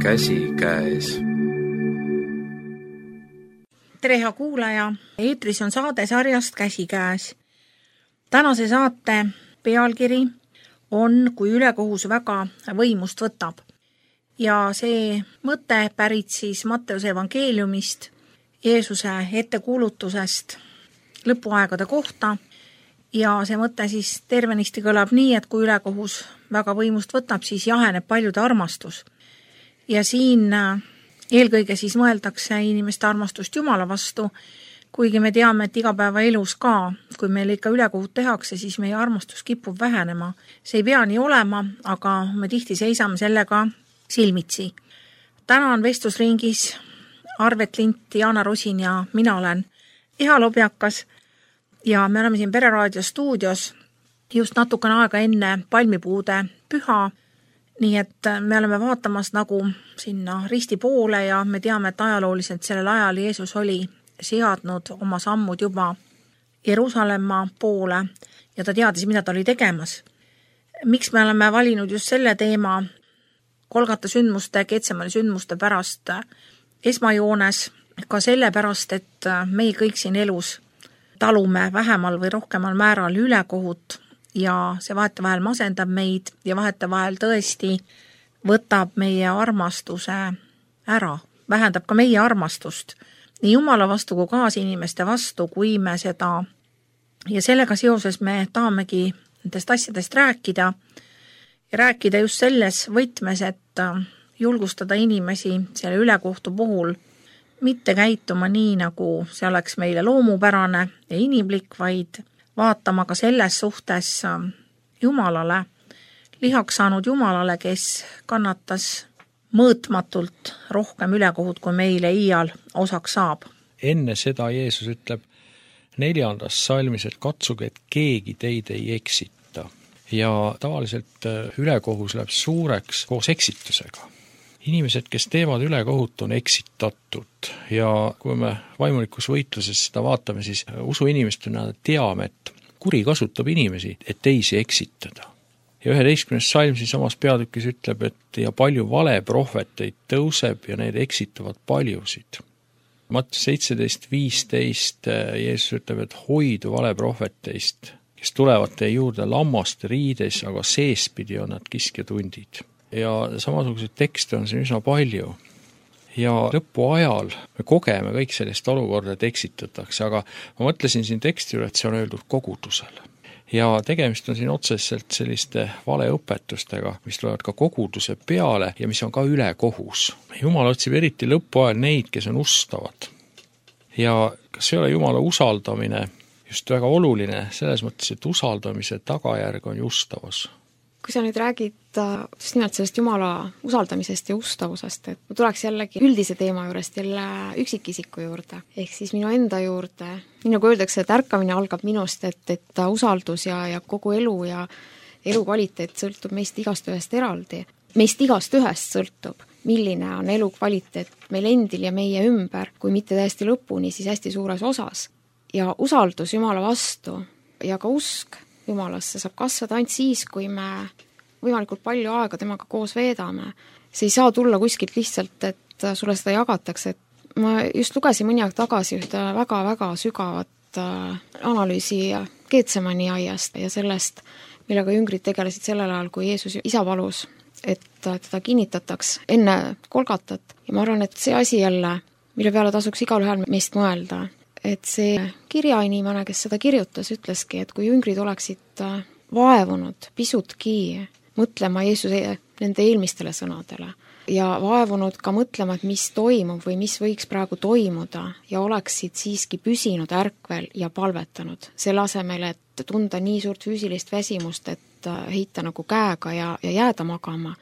käsikäes. Tere, hea kuulaja! Eetris on saade sarjast Käsikäes. Tänase saate pealkiri on Kui ülekohus väga võimust võtab. Ja see mõte pärit siis Matteuse evangeeliumist, Jeesuse ettekuulutusest lõpuaegade kohta. Ja see mõte siis tervenisti kõlab nii, et kui ülekohus väga võimust võtab, siis jaheneb paljude armastus. Ja siin eelkõige siis mõeldakse inimeste armastust Jumala vastu, kuigi me teame, et igapäevaelus ka, kui meil ikka ülekohut tehakse, siis meie armastus kipub vähenema. See ei pea nii olema, aga me tihti seisame sellega silmitsi. Täna on vestlusringis Arvet Lint, Jaana Rosin ja mina olen Eha Lobjakas ja me oleme siin Pereraadio stuudios just natukene aega enne palmipuude püha. Nii et me oleme vaatamas nagu sinna risti poole ja me teame, et ajalooliselt sellel ajal Jeesus oli seadnud oma sammud juba Jeruusalemma poole ja ta teadis, mida ta oli tegemas. Miks me oleme valinud just selle teema Golgata sündmuste, Getsemani sündmuste pärast esmajoones, ka selle pärast, et me kõik siin elus talume vähemal või rohkemal määral ülekohut ja see vahetevahel masendab meid ja vahetevahel tõesti võtab meie armastuse ära, vähendab ka meie armastust nii Jumala vastu kui kaasinimeste vastu, kui me seda ja sellega seoses me tahamegi nendest asjadest rääkida ja rääkida just selles võtmes, et julgustada inimesi selle ülekohtu puhul mitte käituma nii, nagu see oleks meile loomupärane ja inimlik, vaid vaatama ka selles suhtes Jumalale, lihaks saanud Jumalale, kes kannatas mõõtmatult rohkem ülekohut, kui meile iial osaks saab. Enne seda Jeesus ütleb 4. salmis, et katsuge, et keegi teid ei eksita. Ja tavaliselt ülekohus läheb suureks koos eksitusega. Inimesed, kes teevad ülekohut, on eksitatud ja kui me vaimulikus võitluses seda vaatame, siis usuinimestena teame, et kuri kasutab inimesi, et teisi eksitada. Ja 11. salm siin samas peatükis ütleb, et ja palju valeprohveteid tõuseb ja need eksitavad paljusid. Matteus 17:15 Jeesus ütleb, et hoidu valeprohveteist, kes tulevad teie juurde lammaste riides, aga seespidi on nad kiskjatundid. Ja samasuguseid tekste on siin üsna palju. Ja lõpu ajal me kogeme kõik sellist olukorda, et eksitatakse, aga ma mõtlesin siin teksti üle, et see on öeldud kogudusele. Ja tegemist on siin otseselt selliste valeõpetustega, mis tulevad ka koguduse peale ja mis on ka ülekohus. Jumal otsib eriti lõpu ajal neid, kes on ustavad. Ja kas ei ole Jumala usaldamine just väga oluline selles mõttes, et usaldamise tagajärg on justavus? Kui sa nüüd räägid just nimelt sellest Jumala usaldamisest ja ustavusest, et ma tuleks jällegi üldise teema juurest jälle üksikisiku juurde, ehk siis minu enda juurde. Nii nagu öeldakse, et ärkamine algab minust, et usaldus ja kogu elu ja elukvaliteet sõltub meist igast ühest eraldi. Meist igast ühest sõltub, milline on elukvaliteet meil endil ja meie ümber, kui mitte täiesti lõpuni, siis hästi suures osas. Ja usaldus Jumala vastu ja ka usk Jumalasse saab kasvada ainult siis, kui me võimalikult palju aega temaga koos veedame. See ei saa tulla kuskilt lihtsalt, et sulle seda jagatakse. Ma just lugesin mõni aeg tagasi ühte väga-väga sügavat analüüsi Getsemani aiast ja sellest, millega jüngrid tegelesid sellel ajal, kui Jeesus isa palus, et teda kinnitataks enne Golgatat. Ja ma arvan, et see asi jälle, mille peale tasuks igal ühel meist mõelda, et see kirjainimene, kes seda kirjutas, ütleski, et kui jüngrid oleksid vaevunud pisutki mõtlema Jeesuse nende eelmistele sõnadele ja vaevunud ka mõtlema, et mis toimub või mis võiks praegu toimuda ja oleksid siiski püsinud ärkvel ja palvetanud selle asemel, et tunda nii suurt füüsilist väsimust, et heita nagu käega ja jääda magama,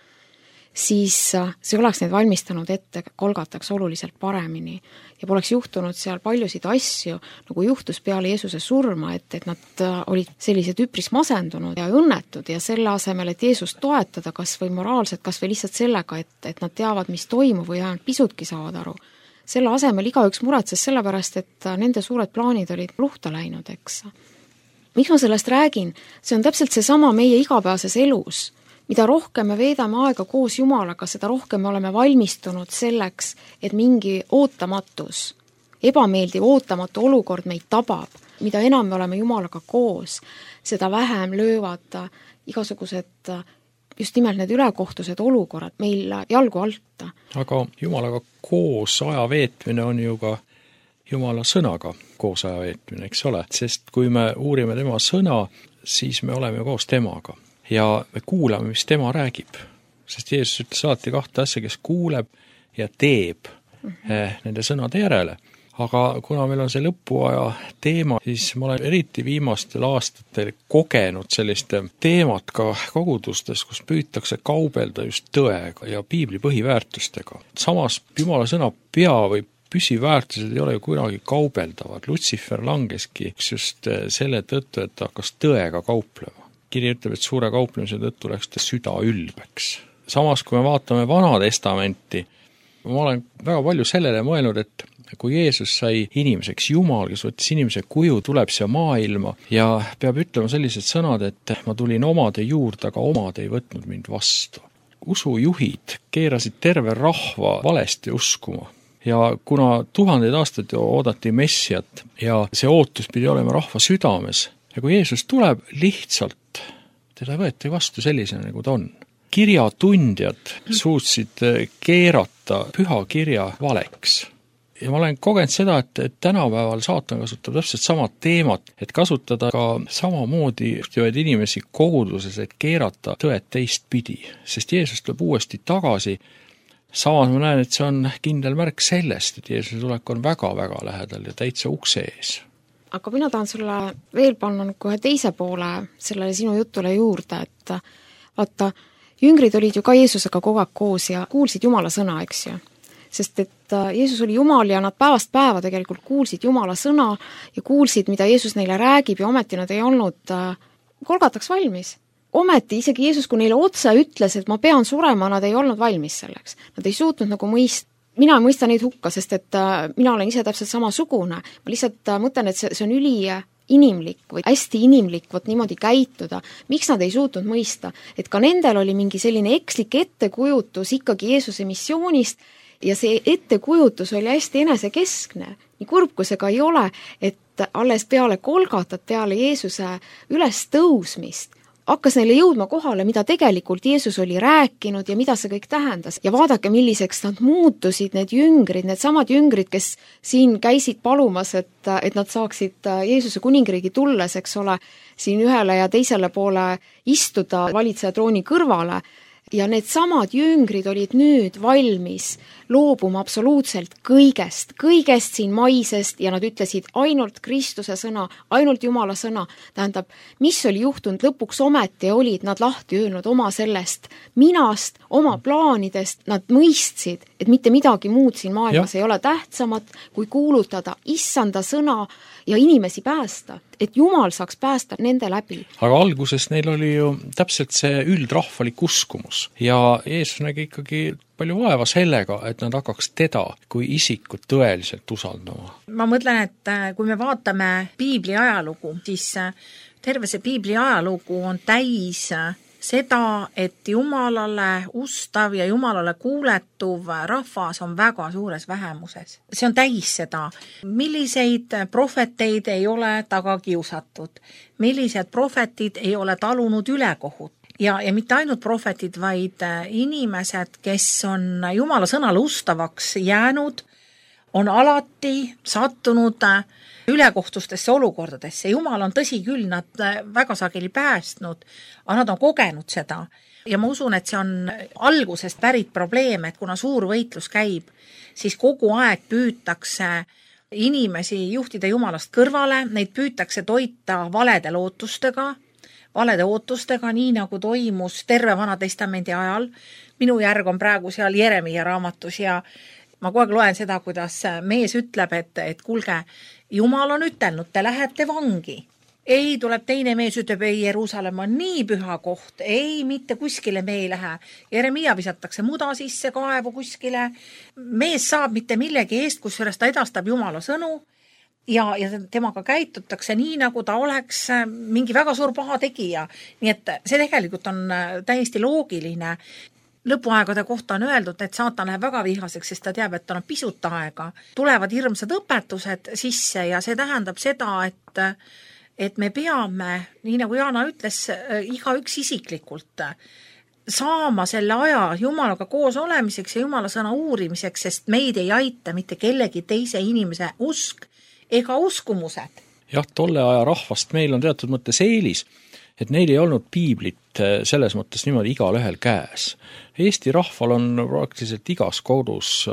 siis see oleks neid valmistanud ette Golgataks oluliselt paremini ja poleks juhtunud seal paljusid asju, nagu juhtus peale Jeesuse surma, et nad olid sellised üpris masendunud ja õnnetud ja selle asemel, et Jeesust toetada kas või moraalselt, kas või lihtsalt sellega, et nad teavad, mis toimub või ainult pisutki saavad aru. Selle asemel igaüks muretses sellepärast, et nende suured plaanid olid luhta läinud, eks. Miks ma sellest räägin? See on täpselt seesama meie igapäevases elus. mida rohkem me veedame aega koos Jumalaga, seda rohkem me oleme valmistunud selleks, et mingi ootamatus, ebameeldiv ootamatu olukord meid tabab. Mida enam me oleme Jumalaga koos, seda vähem löövad igasugused just nimelt need ülekohtused olukorrad meil jalgu alta. Aga Jumalaga koos aja veetmine on ju ka Jumala sõnaga koos aja veetmine, eks ole? Sest kui me uurime tema sõna, siis me oleme koos temaga ja me kuulame, mis tema räägib. Sest Jeesus ütles alati 2 asja, kes kuuleb ja teeb nende sõnade järele. Aga kuna meil on see lõpuaja teema, siis ma olen eriti viimastel aastatel kogenud sellist teemat ka kogudustes, kus püütakse kaubelda just tõega ja piibli põhiväärtustega. Samas Jumala sõna pea või püsiväärtused ei ole ju kunagi kaubeldavad. Lutsifer langeski just selle tõttu, et ta hakkas tõega kauplema. Kiri ütleb, et suure kauplemise tõttu läks ta süda ülbeks. Samas, kui me vaatame Vana Testamenti, ma olen väga palju sellele mõelnud, et kui Jeesus sai inimeseks, Jumal, kes võttis inimese kuju, tuleb siia maailma ja peab ütlema sellised sõnad, et ma tulin omade juurde, aga omad ei võtnud mind vastu. Usujuhid keerasid terve rahva valesti uskuma. Ja kuna 1000 aastaid oodati Messiat ja see ootus pidi olema rahva südames, ja kui Jeesus tuleb, lihtsalt teda võeti vastu sellisena, nagu ta on. Kirjatundjad suutsid keerata püha kirja valeks. Ja ma olen kogenud seda, et tänapäeval saatan kasutab täpselt samad teemat, et kasutada ka samamoodi juhtivaid inimesi koguduses, et keerata tõed teistpidi. Sest Jeesus tuleb uuesti tagasi. Samas ma näen, et see on kindel märk sellest, et Jeesuse tulek on väga-väga lähedal ja täitsa ukse ees. Aga mina tahan sulle veel panna kohe teise poole sellele sinu jutule juurde, et vaata, jüngrid olid ju ka Jeesusega kogu aeg koos ja kuulsid Jumala sõna, eks ju. Sest et Jeesus oli Jumal ja nad päevast päeva tegelikult kuulsid Jumala sõna ja kuulsid, mida Jeesus neile räägib ja ometi nad ei olnud Golgataks valmis. Ometi isegi Jeesus, kui neile otse ütles, et ma pean surema, nad ei olnud valmis selleks. Nad ei suutnud nagu mina ei mõista neid hukka, sest et mina olen ise täpselt samasugune. Ma lihtsalt mõtlen, et see on inimlik või hästi inimlik võt niimoodi käituda. Miks nad ei suutnud mõista? Et ka nendel oli mingi selline ekslik ettekujutus ikkagi Jeesuse missioonist ja see ettekujutus oli hästi enesekeskne. Nii kurb, kui see ka ei ole, et alles peale Golgatat, peale Jeesuse üles tõusmist hakkas neile jõudma kohale, mida tegelikult Jeesus oli rääkinud ja mida see kõik tähendas. Ja vaadake, milliseks nad muutusid, need jüngrid, need samad jüngrid, kes siin käisid palumas, et nad saaksid Jeesuse kuningriigi tulles, eks ole, siin ühele ja teisele poole istuda valitseja trooni kõrvale. Ja need samad jüngrid olid nüüd valmis loobuma absoluutselt kõigest siin maisest ja nad ütlesid ainult Kristuse sõna, ainult Jumala sõna. Tähendab, mis oli juhtunud lõpuks ometi olid nad lahti öelnud oma sellest minast, oma plaanidest, nad mõistsid, et mitte midagi muud siin maailmas ei ole tähtsamat, kui kuulutada issanda sõna ja inimesi päästa, et Jumal saaks päästa nende läbi. Aga alguses neil oli ju täpselt see üldrahvalik uskumus ja Jeesus nägi ikkagi palju vaeva sellega, et nad hakkaks teda kui isikut tõeliselt usaldama. Ma mõtlen, et kui me vaatame piibli ajalugu, siis terve see piibli ajalugu on täis seda, et Jumalale ustav ja Jumalale kuuletuv rahvas on väga suures vähemuses. See on täis seda. Milliseid prohveteid ei ole taga kiusatud? Millised prohvetid ei ole talunud ülekohut? Ja mitte ainult prohvetid, vaid inimesed, kes on Jumala sõnale ustavaks jäänud, on alati sattunud ülekohtustesse olukordadesse. Jumal on tõsi küll nad väga sageli päästnud, aga nad on kogenud seda. Ja ma usun, et see on algusest pärit probleem, et kuna suur võitlus käib, siis kogu aeg püütakse inimesi juhtida Jumalast kõrvale, neid püütakse toita valede ootustega, nii nagu toimus terve Vana Testamendi ajal. Minu järg on praegu seal Jeremia raamatus ja ma kogu aeg loen seda, kuidas mees ütleb, et kuulge, Jumal on ütelnud, te lähete vangi. Ei, tuleb teine mees, ütleb, ei, Jeruusalemm on nii püha koht, ei, mitte kuskile me ei lähe. Jeremia visatakse muda sisse, kaevu kuskile. Mees saab mitte millegi eest, kusjuures ta edastab Jumala sõnu ja temaga käitutakse nii, nagu ta oleks mingi väga suur pahategija. Nii et see tegelikult on täiesti loogiline. Lõpuaegade kohta on öeldud, et saatan läheb väga vihaseks, sest ta teab, et tal on pisut aega. Tulevad hirmsad õpetused sisse ja see tähendab seda, et me peame, nii nagu Jaana ütles, igaüks isiklikult saama selle aja Jumalaga koos olemiseks ja Jumala sõna uurimiseks, sest meid ei aita mitte kellegi teise inimese usk ega uskumused. Jah, tolle aja rahvast meil on teatud mõttes eelis, et neil ei olnud piiblit selles mõttes niimoodi igal ühel käes. Eesti rahval on praktiliselt igas kodus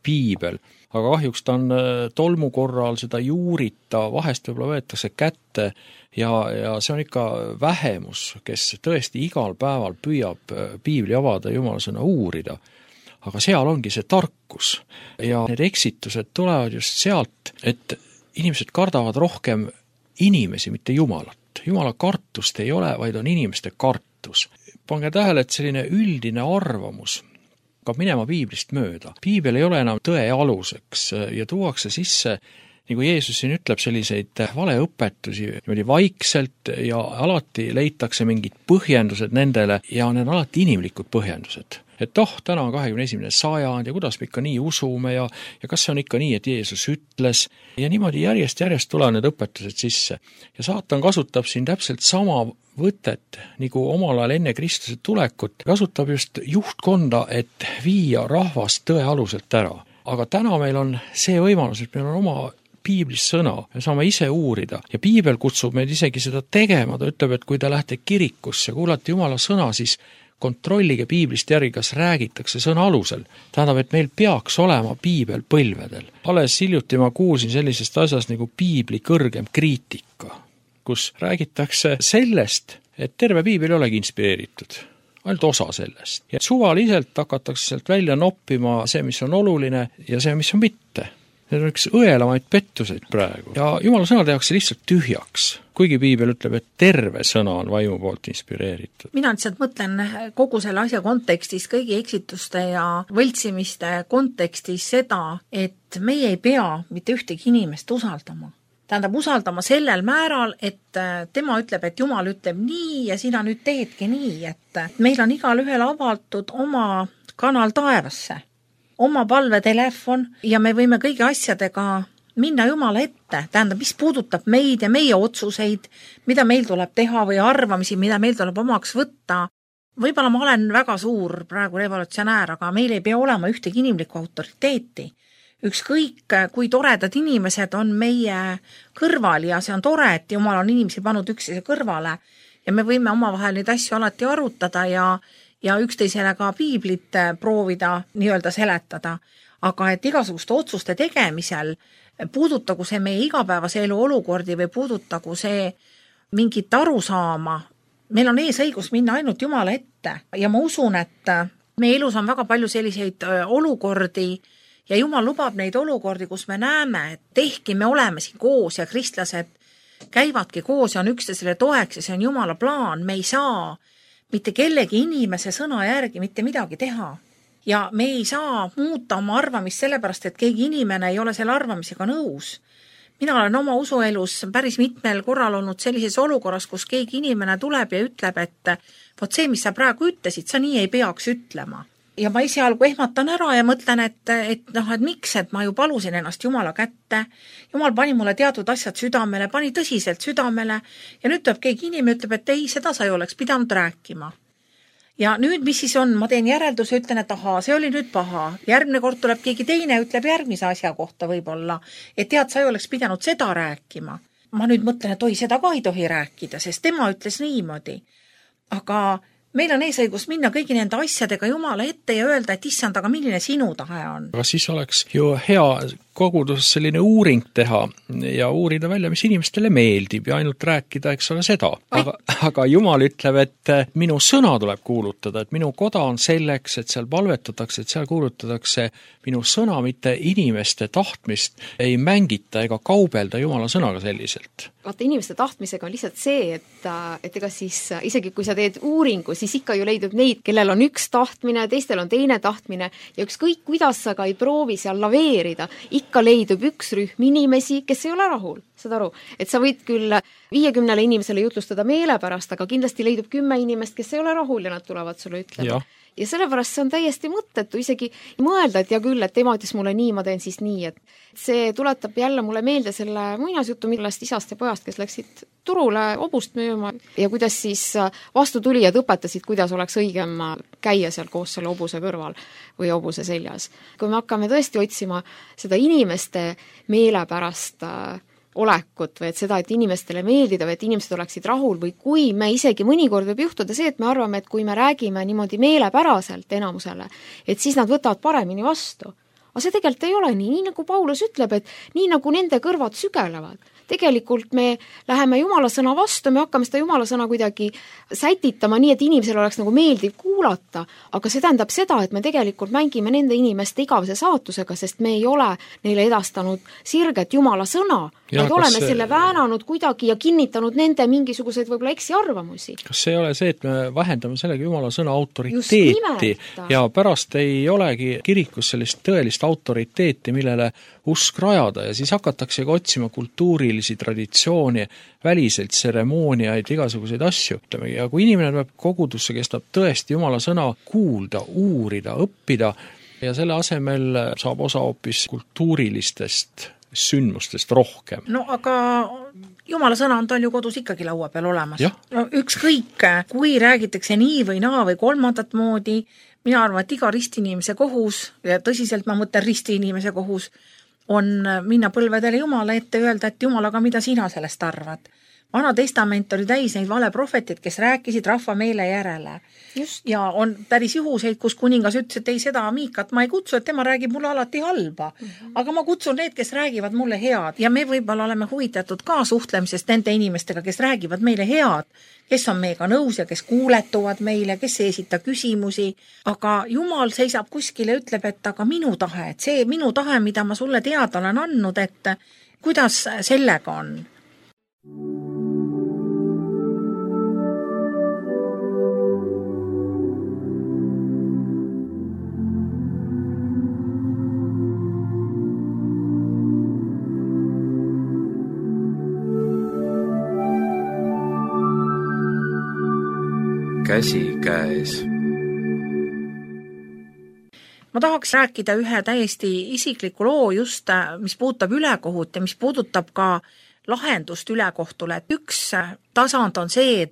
piibel, aga kahjuks ta on tolmu korral, seda juurita, vahest võib-olla võetakse kätte ja see on ikka vähemus, kes tõesti igal päeval püüab piibli avada, Jumala sõna uurida. Aga seal ongi see tarkus ja need eksitused tulevad just sealt, et inimesed kardavad rohkem inimesi, mitte Jumalat. Jumala kartust ei ole, vaid on inimeste kartus. Pange tähele, et selline üldine arvamus hakkab minema piiblist mööda. Piibel ei ole enam tõe aluseks ja tuuakse sisse, nagu Jeesus siin ütleb, selliseid valeõpetusi niimoodi vaikselt ja alati leitakse mingid põhjendused nendele ja need on alati inimlikud põhjendused. Et täna on 21. sajand ja kuidas me ikka nii usume ja kas see on ikka nii, et Jeesus ütles ja niimoodi järjest tulevad need õpetused sisse. Ja saatan kasutab siin täpselt sama võtet, nagu omal ajal enne Kristuse tulekut, kasutab just juhtkonda, et viia rahvast tõe aluselt ära. Aga täna meil on see võimalus, et meil on oma piiblis sõna, me saame ise uurida ja piibel kutsub meid isegi seda tegema, ta ütleb, et kui te lähete kirikusse, kuulate Jumala sõna, siis kontrollige piiblist järgi, kas räägitakse sõna alusel. Tähendab, et meil peaks olema piibel põlvedel. Alles hiljuti ma kuulsin sellisest asjast nagu piibli kõrgem kriitika, kus räägitakse sellest, et terve piibel ei olegi inspireeritud, ainult osa sellest. Ja suvaliselt hakatakse sealt välja noppima see, mis on oluline ja see, mis on mitte. Need on üks õelamaid pettuseid praegu. Ja Jumala sõna tehakse lihtsalt tühjaks, kuigi piibel ütleb, et terve sõna on vaimu poolt inspireeritud. Mina lihtsalt mõtlen kogu selle asja kontekstis, kõigi eksituste ja võltsimiste kontekstis seda, et meie ei pea mitte ühtegi inimest usaldama. Tähendab, usaldama sellel määral, et tema ütleb, et Jumal ütleb nii ja sina nüüd teedki nii, et meil on igal ühel avatud oma kanal taevasse, oma palvetelefon ja me võime kõigi asjadega minna Jumala ette. Tähendab, mis puudutab meid ja meie otsuseid, mida meil tuleb teha või arvamisi, mida meil tuleb omaks võtta. Võib-olla ma olen väga suur praegu revolutsionäär, aga meil ei pea olema ühtegi inimlikku autoriteeti. Ükskõik, kui toredad inimesed on meie kõrval ja see on tore, et Jumal on inimesi pannud üksteise kõrvale ja me võime omavahel neid asju alati arutada ja üksteisele ka piiblit proovida nii-öelda seletada. Aga et igasuguste otsuste tegemisel puudutagu see meie igapäevase elu olukordi või puudutagu see mingit arusaama, meil on õigus minna ainult Jumala ette ja ma usun, et meie elus on väga palju selliseid olukordi ja Jumal lubab neid olukordi, kus me näeme, et ehkki me oleme siin koos ja kristlased käivadki koos ja on üksteisele toeks ja see on Jumala plaan, me ei saa mitte kellegi inimese sõna järgi mitte midagi teha. Ja me ei saa muuta oma arvamist sellepärast, et keegi inimene ei ole selle arvamisega nõus. Mina olen oma usuelus päris mitmel korral olnud sellises olukorras, kus keegi inimene tuleb ja ütleb, et vot see, mis sa praegu ütlesid, sa nii ei peaks ütlema. Ja ma esialgu ehmatan ära ja mõtlen, et miks, et ma ju palusin ennast Jumala kätte. Jumal pani mulle teatud asjad südamele, pani tõsiselt südamele ja nüüd tuleb keegi inimene ütleb, et ei, seda sa ei oleks pidanud rääkima. Ja nüüd, mis siis on, ma teen järelduse, ütlen, et see oli nüüd paha. Järgmine kord tuleb keegi teine, ütleb järgmise asja kohta võib-olla, et tead, sa ei oleks pidanud seda rääkima. Ma nüüd mõtlen, et seda ka ei tohi rääkida, sest tema ütles niimoodi. Aga meil on õigus minna kõigi nende asjadega Jumala ette ja öelda, et issand, aga milline sinu tahe on. Aga siis oleks ju hea kogudus selline uuring teha ja uurida välja, mis inimestele meeldib ja ainult rääkida, eks ole seda. Aga Jumal ütleb, et minu sõna tuleb kuulutada, et minu koda on selleks, et seal palvetatakse, et seal kuulutatakse minu sõna, mitte inimeste tahtmist ei mängita ega kaubelda Jumala sõnaga selliselt. Vaata, inimeste tahtmisega on lihtsalt see, et ega siis isegi kui sa teed uuringu, siis ikka ju leidub neid, kellel on üks tahtmine, teistel on teine tahtmine ja ükskõik, kuidas sa ka ei proovi seal laveerida, ikka leidub üks rühm inimesi, kes ei ole rahul. Saad aru, et sa võid küll 50 inimesele jutlustada meelepärast, aga kindlasti leidub 10 inimest, kes ei ole rahul ja nad tulevad sulle ütlema. Ja sellepärast see on täiesti mõttetu isegi mõelda, et ja küll, et tema ütles mulle nii, ma teen siis nii, et see tuletab jälle mulle meelde selle muinasjutu, millest isast ja pojast, kes läksid turule hobust müüma ja kuidas siis vastutulijad õpetasid, kuidas oleks õigem käia seal koos selle hobuse kõrval või hobuse seljas. Kui me hakkame tõesti otsima seda inimeste meelepärast olekut või et seda, et inimestele meeldida või et inimesed oleksid rahul või kui me isegi mõnikord võib juhtuda see, et me arvame, et kui me räägime niimoodi meelepäraselt enamusele, et siis nad võtavad paremini vastu. Aga see tegelikult ei ole nii nagu Paulus ütleb, et nii nagu nende kõrvad sügelevad. Tegelikult me läheme Jumala sõna vastu, me hakkame seda Jumala sõna kuidagi sätitama nii, et inimesel oleks nagu meeldiv kuulata, aga see tähendab seda, et me tegelikult mängime nende inimeste igavese saatusega, sest me ei ole neile edastanud sirget Jumala sõna, vaid oleme selle väänanud kuidagi ja kinnitanud nende mingisuguseid võib-olla eksiarvamusi. Kas see ei ole see, et me vähendame sellega Jumala sõna autoriteeti ja pärast ei olegi kirikus sellist tõelist autoriteeti, millele usk rajada ja siis hakataksegi otsima kultuurilisi traditsiooni, väliselt tseremooniaid, igasuguseid asju. Ja kui inimene tuleb kogudusse, kes tahab tõesti Jumala sõna kuulda, uurida, õppida ja selle asemel saab osa hoopis kultuurilistest sündmustest rohkem. No aga Jumala sõna on tal ju kodus ikkagi laua peal olemas. No, ükskõik, kui räägitakse nii või naa või kolmandat moodi, mina arvan, et iga ristiinimese kohus, ja tõsiselt ma mõtlen ristiinimese kohus, on minna põlvedele Jumala ette öelda, et Jumalaga, mida sina sellest arvad. Vana testament oli täis neid valeprohvetid, kes rääkisid rahva meele järele. Just. Ja on päris juhuseid, kus kuningas ütles, et ei seda Miikat ma ei kutsu, et tema räägib mulle alati halba. Aga ma kutsun need, kes räägivad mulle head. Ja me võib-olla oleme huvitatud ka suhtlemisest nende inimestega, kes räägivad meile head, kes on meiega nõus ja kes kuuletuvad meile, kes ei esita küsimusi. Aga Jumal seisab kuskil ja ütleb, et aga minu tahe, et see minu tahe, mida ma sulle teada olen andnud, et kuidas sellega on? Käsikäes. Ma tahaks rääkida ühe täiesti isikliku loo just, mis puudutab ülekohut ja mis puudutab ka lahendust ülekohtule. Üks tasand on see,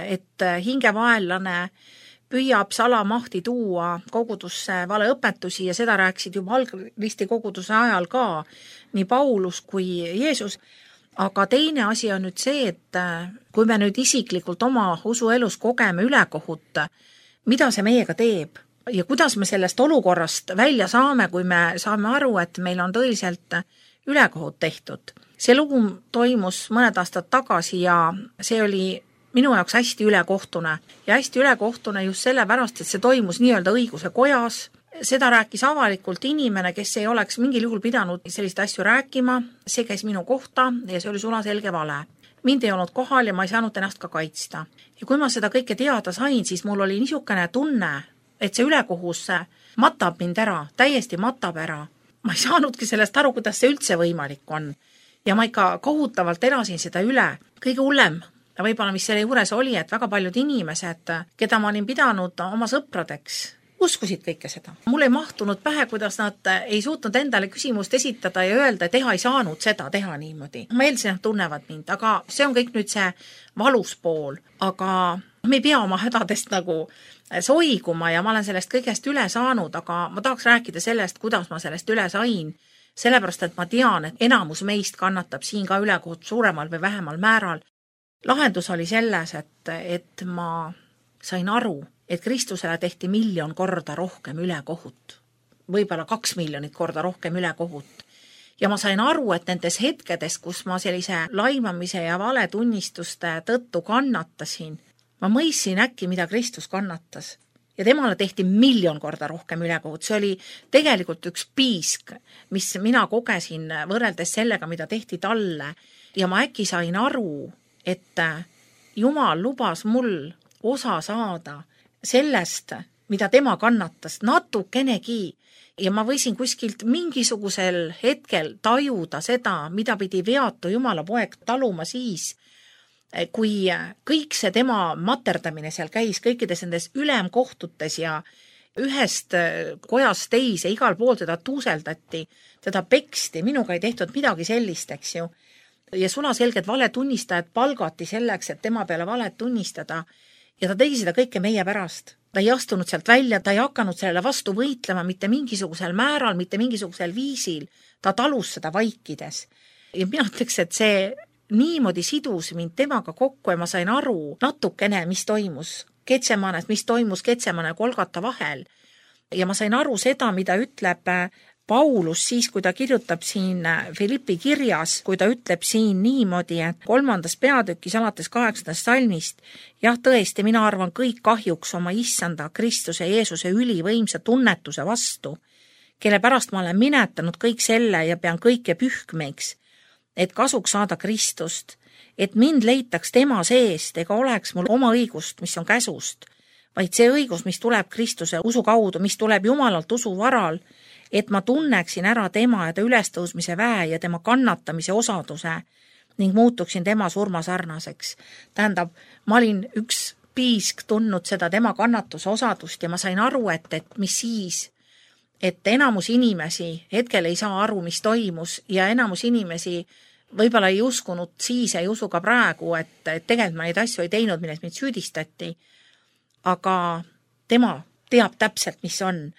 et hingevaenlane püüab salamahti tuua kogudusse valeõpetusi ja seda rääkisid juba algristi koguduse ajal ka nii Paulus kui Jeesus. Aga teine asi on nüüd see, et kui me nüüd isiklikult oma usuelus kogeme ülekohut, mida see meiega teeb ja kuidas me sellest olukorrast välja saame, kui me saame aru, et meil on tõeliselt ülekohut tehtud. See lugu toimus mõned aastad tagasi ja see oli minu jaoks hästi ülekohtune. Ja hästi ülekohtune just sellepärast, et see toimus nii-öelda õiguse kojas. Seda rääkis avalikult inimene, kes ei oleks mingil juhul pidanud sellist asju rääkima. See käis minu kohta ja see oli sulaselge vale. Mind ei olnud kohal ja ma ei saanud ennast ka kaitsta. Ja kui ma seda kõike teada sain, siis mul oli niisugune tunne, et see ülekohus matab mind ära, täiesti matab ära. Ma ei saanudki sellest aru, kuidas see üldse võimalik on. Ja ma ikka kohutavalt elasin seda üle. Kõige hullem, võib-olla mis selle juures oli, et väga paljud inimesed, keda ma olin pidanud oma sõpradeks, uskusid kõike seda. Mul ei mahtunud pähe, kuidas nad ei suutnud endale küsimust esitada ja öelda, et ei saanud seda teha niimoodi. Ma eeldasin, et tunnevad mind, aga see on kõik nüüd see valus pool. Aga me ei pea oma hädadest nagu soiguma ja ma olen sellest kõigest üle saanud, aga ma tahaks rääkida sellest, kuidas ma sellest üle sain. Sellepärast, et ma tean, et enamus meist kannatab siin ka ülekohut suuremal või vähemal määral. Lahendus oli selles, et ma sain aru, et Kristusele tehti 1 000 000 korda rohkem ülekohut. Võib-olla 2 miljonit korda rohkem ülekohut. Ja ma sain aru, et nendes hetkedes, kus ma sellise laimamise ja valetunnistuste tõttu kannatasin, ma mõistsin äkki, mida Kristus kannatas. Ja temale tehti 1 000 000 korda rohkem ülekohut. See oli tegelikult üks piisk, mis mina kogesin võrreldes sellega, mida tehti talle. Ja ma äkki sain aru, et Jumal lubas mul osa saada sellest, mida tema kannatas, natukenegi. Ja ma võisin kuskilt mingisugusel hetkel tajuda seda, mida pidi veatu Jumala poeg taluma siis, kui kõik see tema materdamine seal käis kõikides nendes ülemkohtutes ja ühest kojast teise, igal pool teda tuuseldati, teda peksti, minuga ei tehtud midagi sellist, eks ju. Ja sulaselged valetunnistajad palgati selleks, et tema peale valet tunnistada ja ta tegi seda kõike meie pärast. Ta ei astunud sealt välja, ta ei hakanud sellele vastu võitlema mitte mingisugusel määral, mitte mingisugusel viisil. Ta talus seda vaikides. Ja mina ütleks, et see niimoodi sidus mind temaga kokku ja ma sain aru natukene, mis toimus Getsemanes, mis toimus Getsemane ja Golgata vahel. Ja ma sain aru seda, mida ütleb Paulus siis, kui ta kirjutab siin Filippi kirjas, kui ta ütleb siin niimoodi, et 3. peatükis alates 8. salmist, jah, tõesti, mina arvan kõik kahjuks oma issanda Kristuse Jeesuse ülivõimsa tunnetuse vastu, kelle pärast ma olen minetanud kõik selle ja pean kõike pühkmeiks, et kasuks saada Kristust, et mind leitaks tema seest ega oleks mul oma õigust, mis on käsust, vaid see õigus, mis tuleb Kristuse usu kaudu, mis tuleb Jumalalt usu varal, et ma tunneksin ära tema ja ta ülestõusmise väe ja tema kannatamise osaduse ning muutuksin tema surma sarnaseks. Tähendab, ma olin üks piisk tundnud seda tema kannatuse osadust ja ma sain aru, et mis siis, et enamus inimesi hetkel ei saa aru, mis toimus ja enamus inimesi võib-olla ei uskunud siis, ei usu ka praegu, et tegelikult ma neid asju ei teinud, milles mind süüdistati, aga tema teab täpselt, mis on.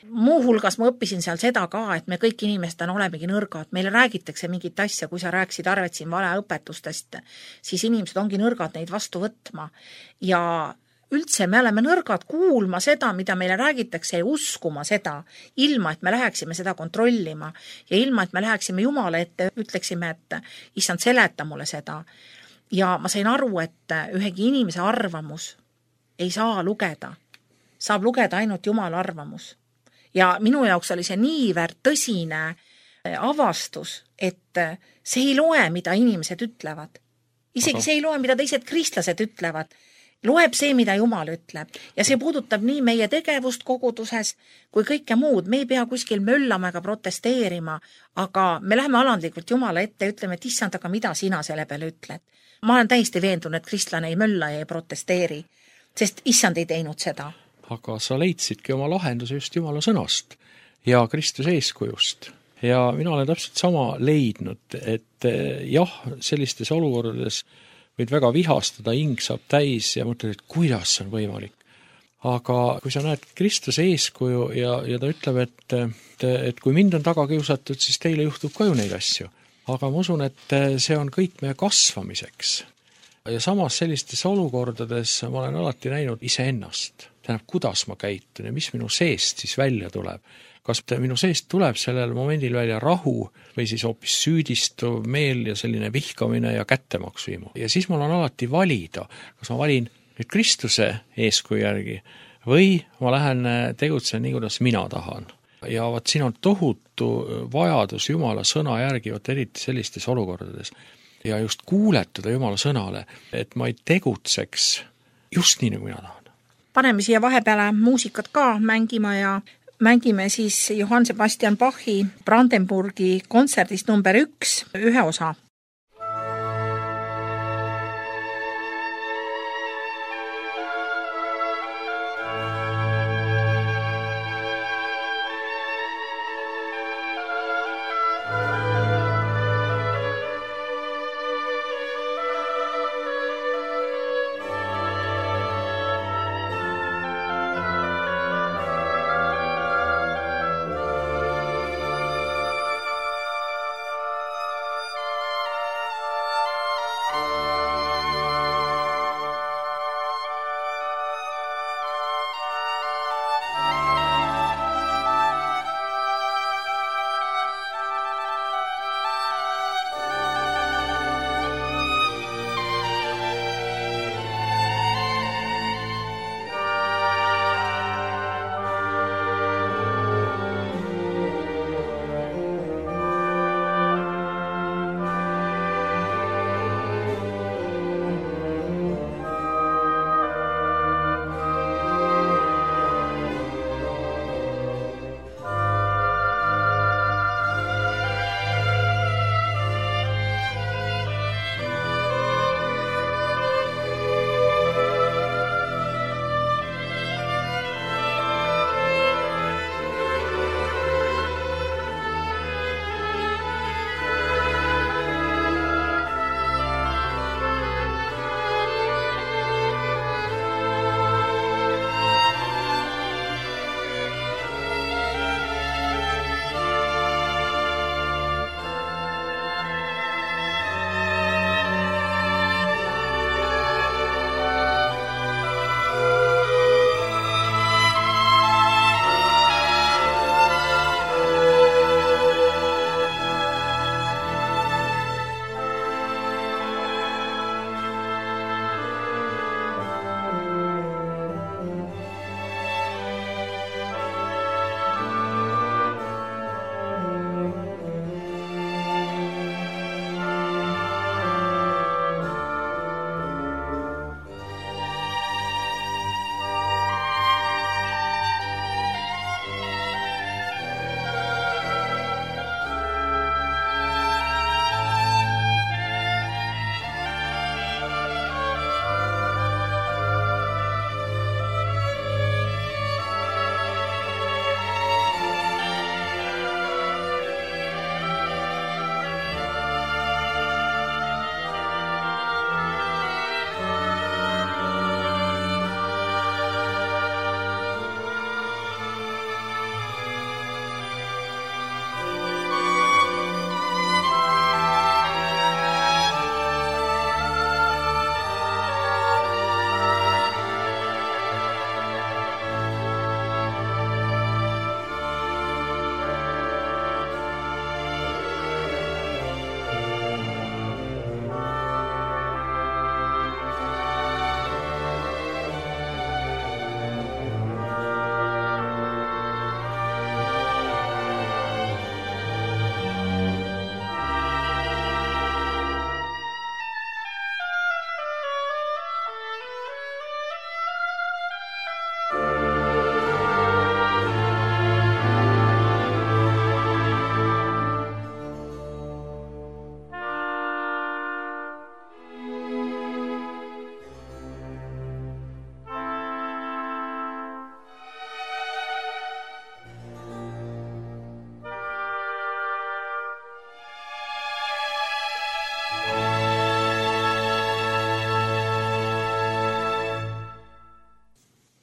Muuhulgas ma õppisin seal seda ka, et me kõik inimestena olemegi nõrgad. Meile räägitakse mingit asja, kui sa rääkisid Arvet siin valeõpetustest, siis inimesed ongi nõrgad neid vastu võtma. Ja üldse me oleme nõrgad kuulma seda, mida meile räägitakse ja uskuma seda, ilma, et me läheksime seda kontrollima ja ilma, et me läheksime Jumala ette, ütleksime, et issand, seleta mulle seda. Ja ma sain aru, et ühegi inimese arvamus ei saa lugeda. Saab lugeda ainult Jumala arvamus. Ja minu jaoks oli see niivõrd tõsine avastus, et see ei loe, mida inimesed ütlevad. Isegi see ei loe, mida teised kristlased ütlevad. Loeb see, mida Jumal ütleb. Ja see puudutab nii meie tegevust koguduses kui kõike muud. Me ei pea kuskil möllama ega protesteerima, aga me läheme alandlikult Jumala ette ja ütleme, et issand, aga mida sina selle peale ütled. Ma olen täiesti veendunud, et kristlane ei mölla ja ei protesteeri, sest issand ei teinud seda. Aga sa leidsidki oma lahenduse just Jumala sõnast ja Kristuse eeskujust. Ja mina olen täpselt sama leidnud, et jah, sellistes olukordades võid väga vihastada, hing saab täis ja mõtled, et kuidas see on võimalik. Aga kui sa näed Kristuse eeskuju ja ta ütleb, et kui mind on taga kiusatud, siis teile juhtub ka ju neid asju. Aga ma usun, et see on kõik meie kasvamiseks. Ja samas sellistes olukordades ma olen alati näinud iseennast. Tähendab, kuidas ma käitun ja mis minu seest siis välja tuleb. Kas minu seest tuleb sellel momendil välja rahu või siis hoopis süüdistuv meel ja selline vihkamine ja kättemaksuimu. Ja siis mul on alati valida, kas ma valin nüüd Kristuse eeskuju järgi või ma lähen tegutsen nii, kuidas mina tahan. Ja vaat siin on tohutu vajadus Jumala sõna järgi, eriti sellistes olukordades. Ja just kuuletuda Jumala sõnale, et ma ei tegutseks just nii, nagu mina tahan. Paneme siia vahepeale muusikat ka mängima ja mängime siis Johann Sebastian Bachi Brandenburgi kontserdist number 1, ühe osa.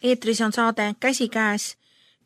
eetris on saade Käsikäes,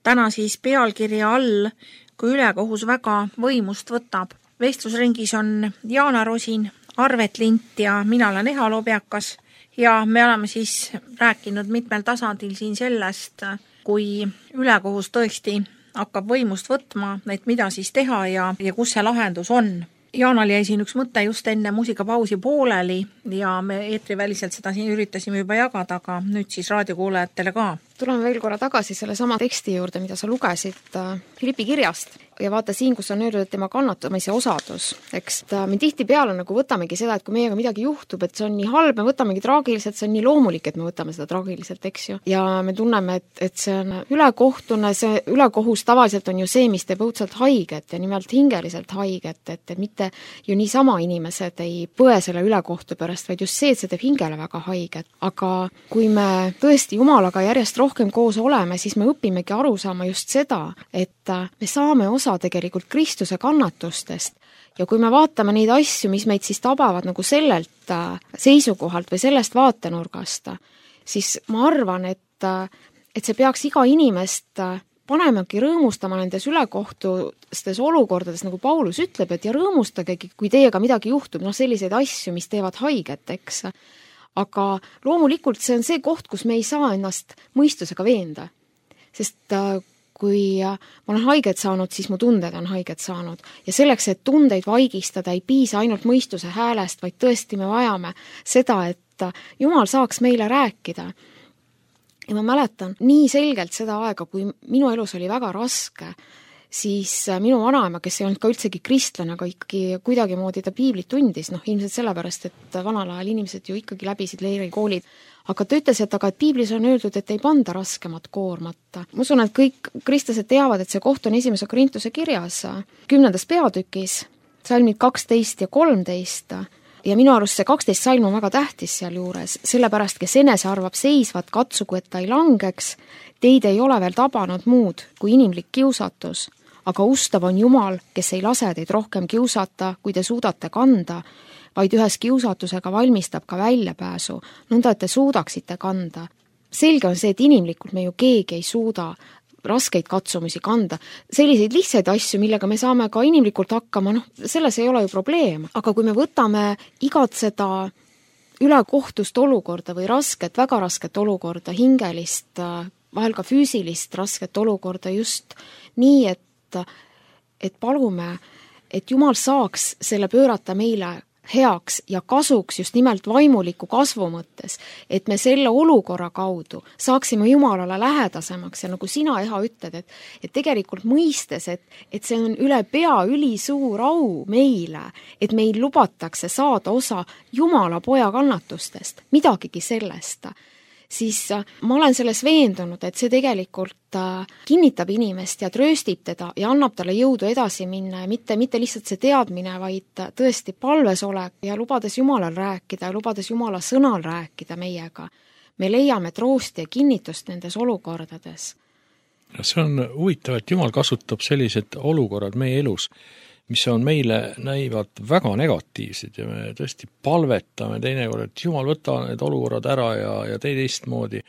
täna siis pealkirja all, kui ülekohus väga võimust võtab. Vestlusringis on Jaana Rosin, Arvet Lint ja mina olen Eha Lobjakas ja me oleme siis rääkinud mitmel tasandil siin sellest, kui ülekohus tõesti hakkab võimust võtma, et mida siis teha ja kus see lahendus on. Jaanal jäi siin üks mõte just enne muusikapausi pooleli ja me eetriväliselt seda siin üritasime juba jagada, aga nüüd siis raadiokuulajatele ka. Tuleme veel korra tagasi selle sama teksti juurde, mida sa lugesid Philippi kirjast ja vaata siin, kus on öeldud, et tema kannatamise osadus. Eks me tihtipeale nagu võtamegi seda, et kui meiega midagi juhtub, et see on nii halb, me võtamegi traagiliselt, see on nii loomulik, et me võtame seda traagiliselt, eks ju. Ja me tunneme, et see on ülekohtune, see ülekohus tavaliselt on ju see, mis teeb õudselt haiget ja nimelt hingeliselt haiget, et mitte ju niisama inimesed ei põe selle ülekohtu pärast, vaid just see, et see teeb hingele väga haiget. Aga kui me tõesti Jumalaga järjest rohkem koos oleme, siis me õpimegi aru saama just seda, et me saame osa tegelikult Kristuse kannatustest ja kui me vaatame neid asju, mis meid siis tabavad nagu sellelt seisukohalt või sellest vaatenurgast, siis ma arvan, et see peaks iga inimest panemagi rõõmustama nendes ülekohtustes olukordades, nagu Paulus ütleb, et ja rõõmustagegi, kui teiega midagi juhtub, selliseid asju, mis teevad haiget, eks. Aga loomulikult see on see koht, kus me ei saa ennast mõistusega veenda, sest kui ma olen haiget saanud, siis mu tunded on haiget saanud. Ja selleks, et tundeid vaigistada, ei piisa ainult mõistuse häälest, vaid tõesti me vajame seda, et Jumal saaks meile rääkida. Ja ma mäletan nii selgelt seda aega, kui minu elus oli väga raske, siis minu vanaema, kes ei olnud ka üldsegi kristlane, aga ikkagi kuidagi moodi ta piiblit tundis, ilmselt sellepärast, et vanal ajal inimesed ju ikkagi läbisid leirikoolid, aga ta ütles, et piiblis on öeldud, et ei panda raskemat koormat. Ma usun, et kõik kristlased teavad, et see koht on 1. Korintuse kirjas 10. peatükis, salmid 12 ja 13 ja minu arust see 12 salm on väga tähtis seal juures, sellepärast, kes enese arvab seisvat, katsugu, et ta ei langeks, teid ei ole veel tabanud muud kui inimlik kiusatus, aga ustav on Jumal, kes ei lase teid rohkem kiusata, kui te suudate kanda, vaid ühes kiusatusega valmistab ka väljapääsu, nõnda, et te suudaksite kanda. Selge on see, et inimlikult me ju keegi ei suuda raskeid katsumusi kanda. Selliseid lihtsaid asju, millega me saame ka inimlikult hakkama, selles ei ole ju probleem. Aga kui me võtame igat seda ülekohtust olukorda või rasket, väga rasket olukorda, hingelist, vahel ka füüsilist rasket olukorda just nii, et palume, et Jumal saaks selle pöörata meile heaks ja kasuks just nimelt vaimuliku kasvu mõttes, et me selle olukorra kaudu saaksime Jumalale lähedasemaks ja nagu sina, Eha, ütled, et tegelikult mõistes, et see on üle pea ülisuur au meile, et meil lubatakse saada osa Jumala poja kannatustest, midagigi sellest, siis ma olen selles veendunud, et see tegelikult kinnitab inimest ja trööstib teda ja annab talle jõudu edasi minna ja mitte lihtsalt see teadmine, vaid tõesti palves olek ja lubades Jumalal rääkida ja lubades Jumala sõnal rääkida meiega. Me leiame troosti ja kinnitust nendes olukordades. See on huvitav, et Jumal kasutab sellised olukorrad meie elus, mis on meile näivad väga negatiivsed ja me tõesti palvetame teinekord, et Jumal võta need olukorrad ära ja tee teistmoodi.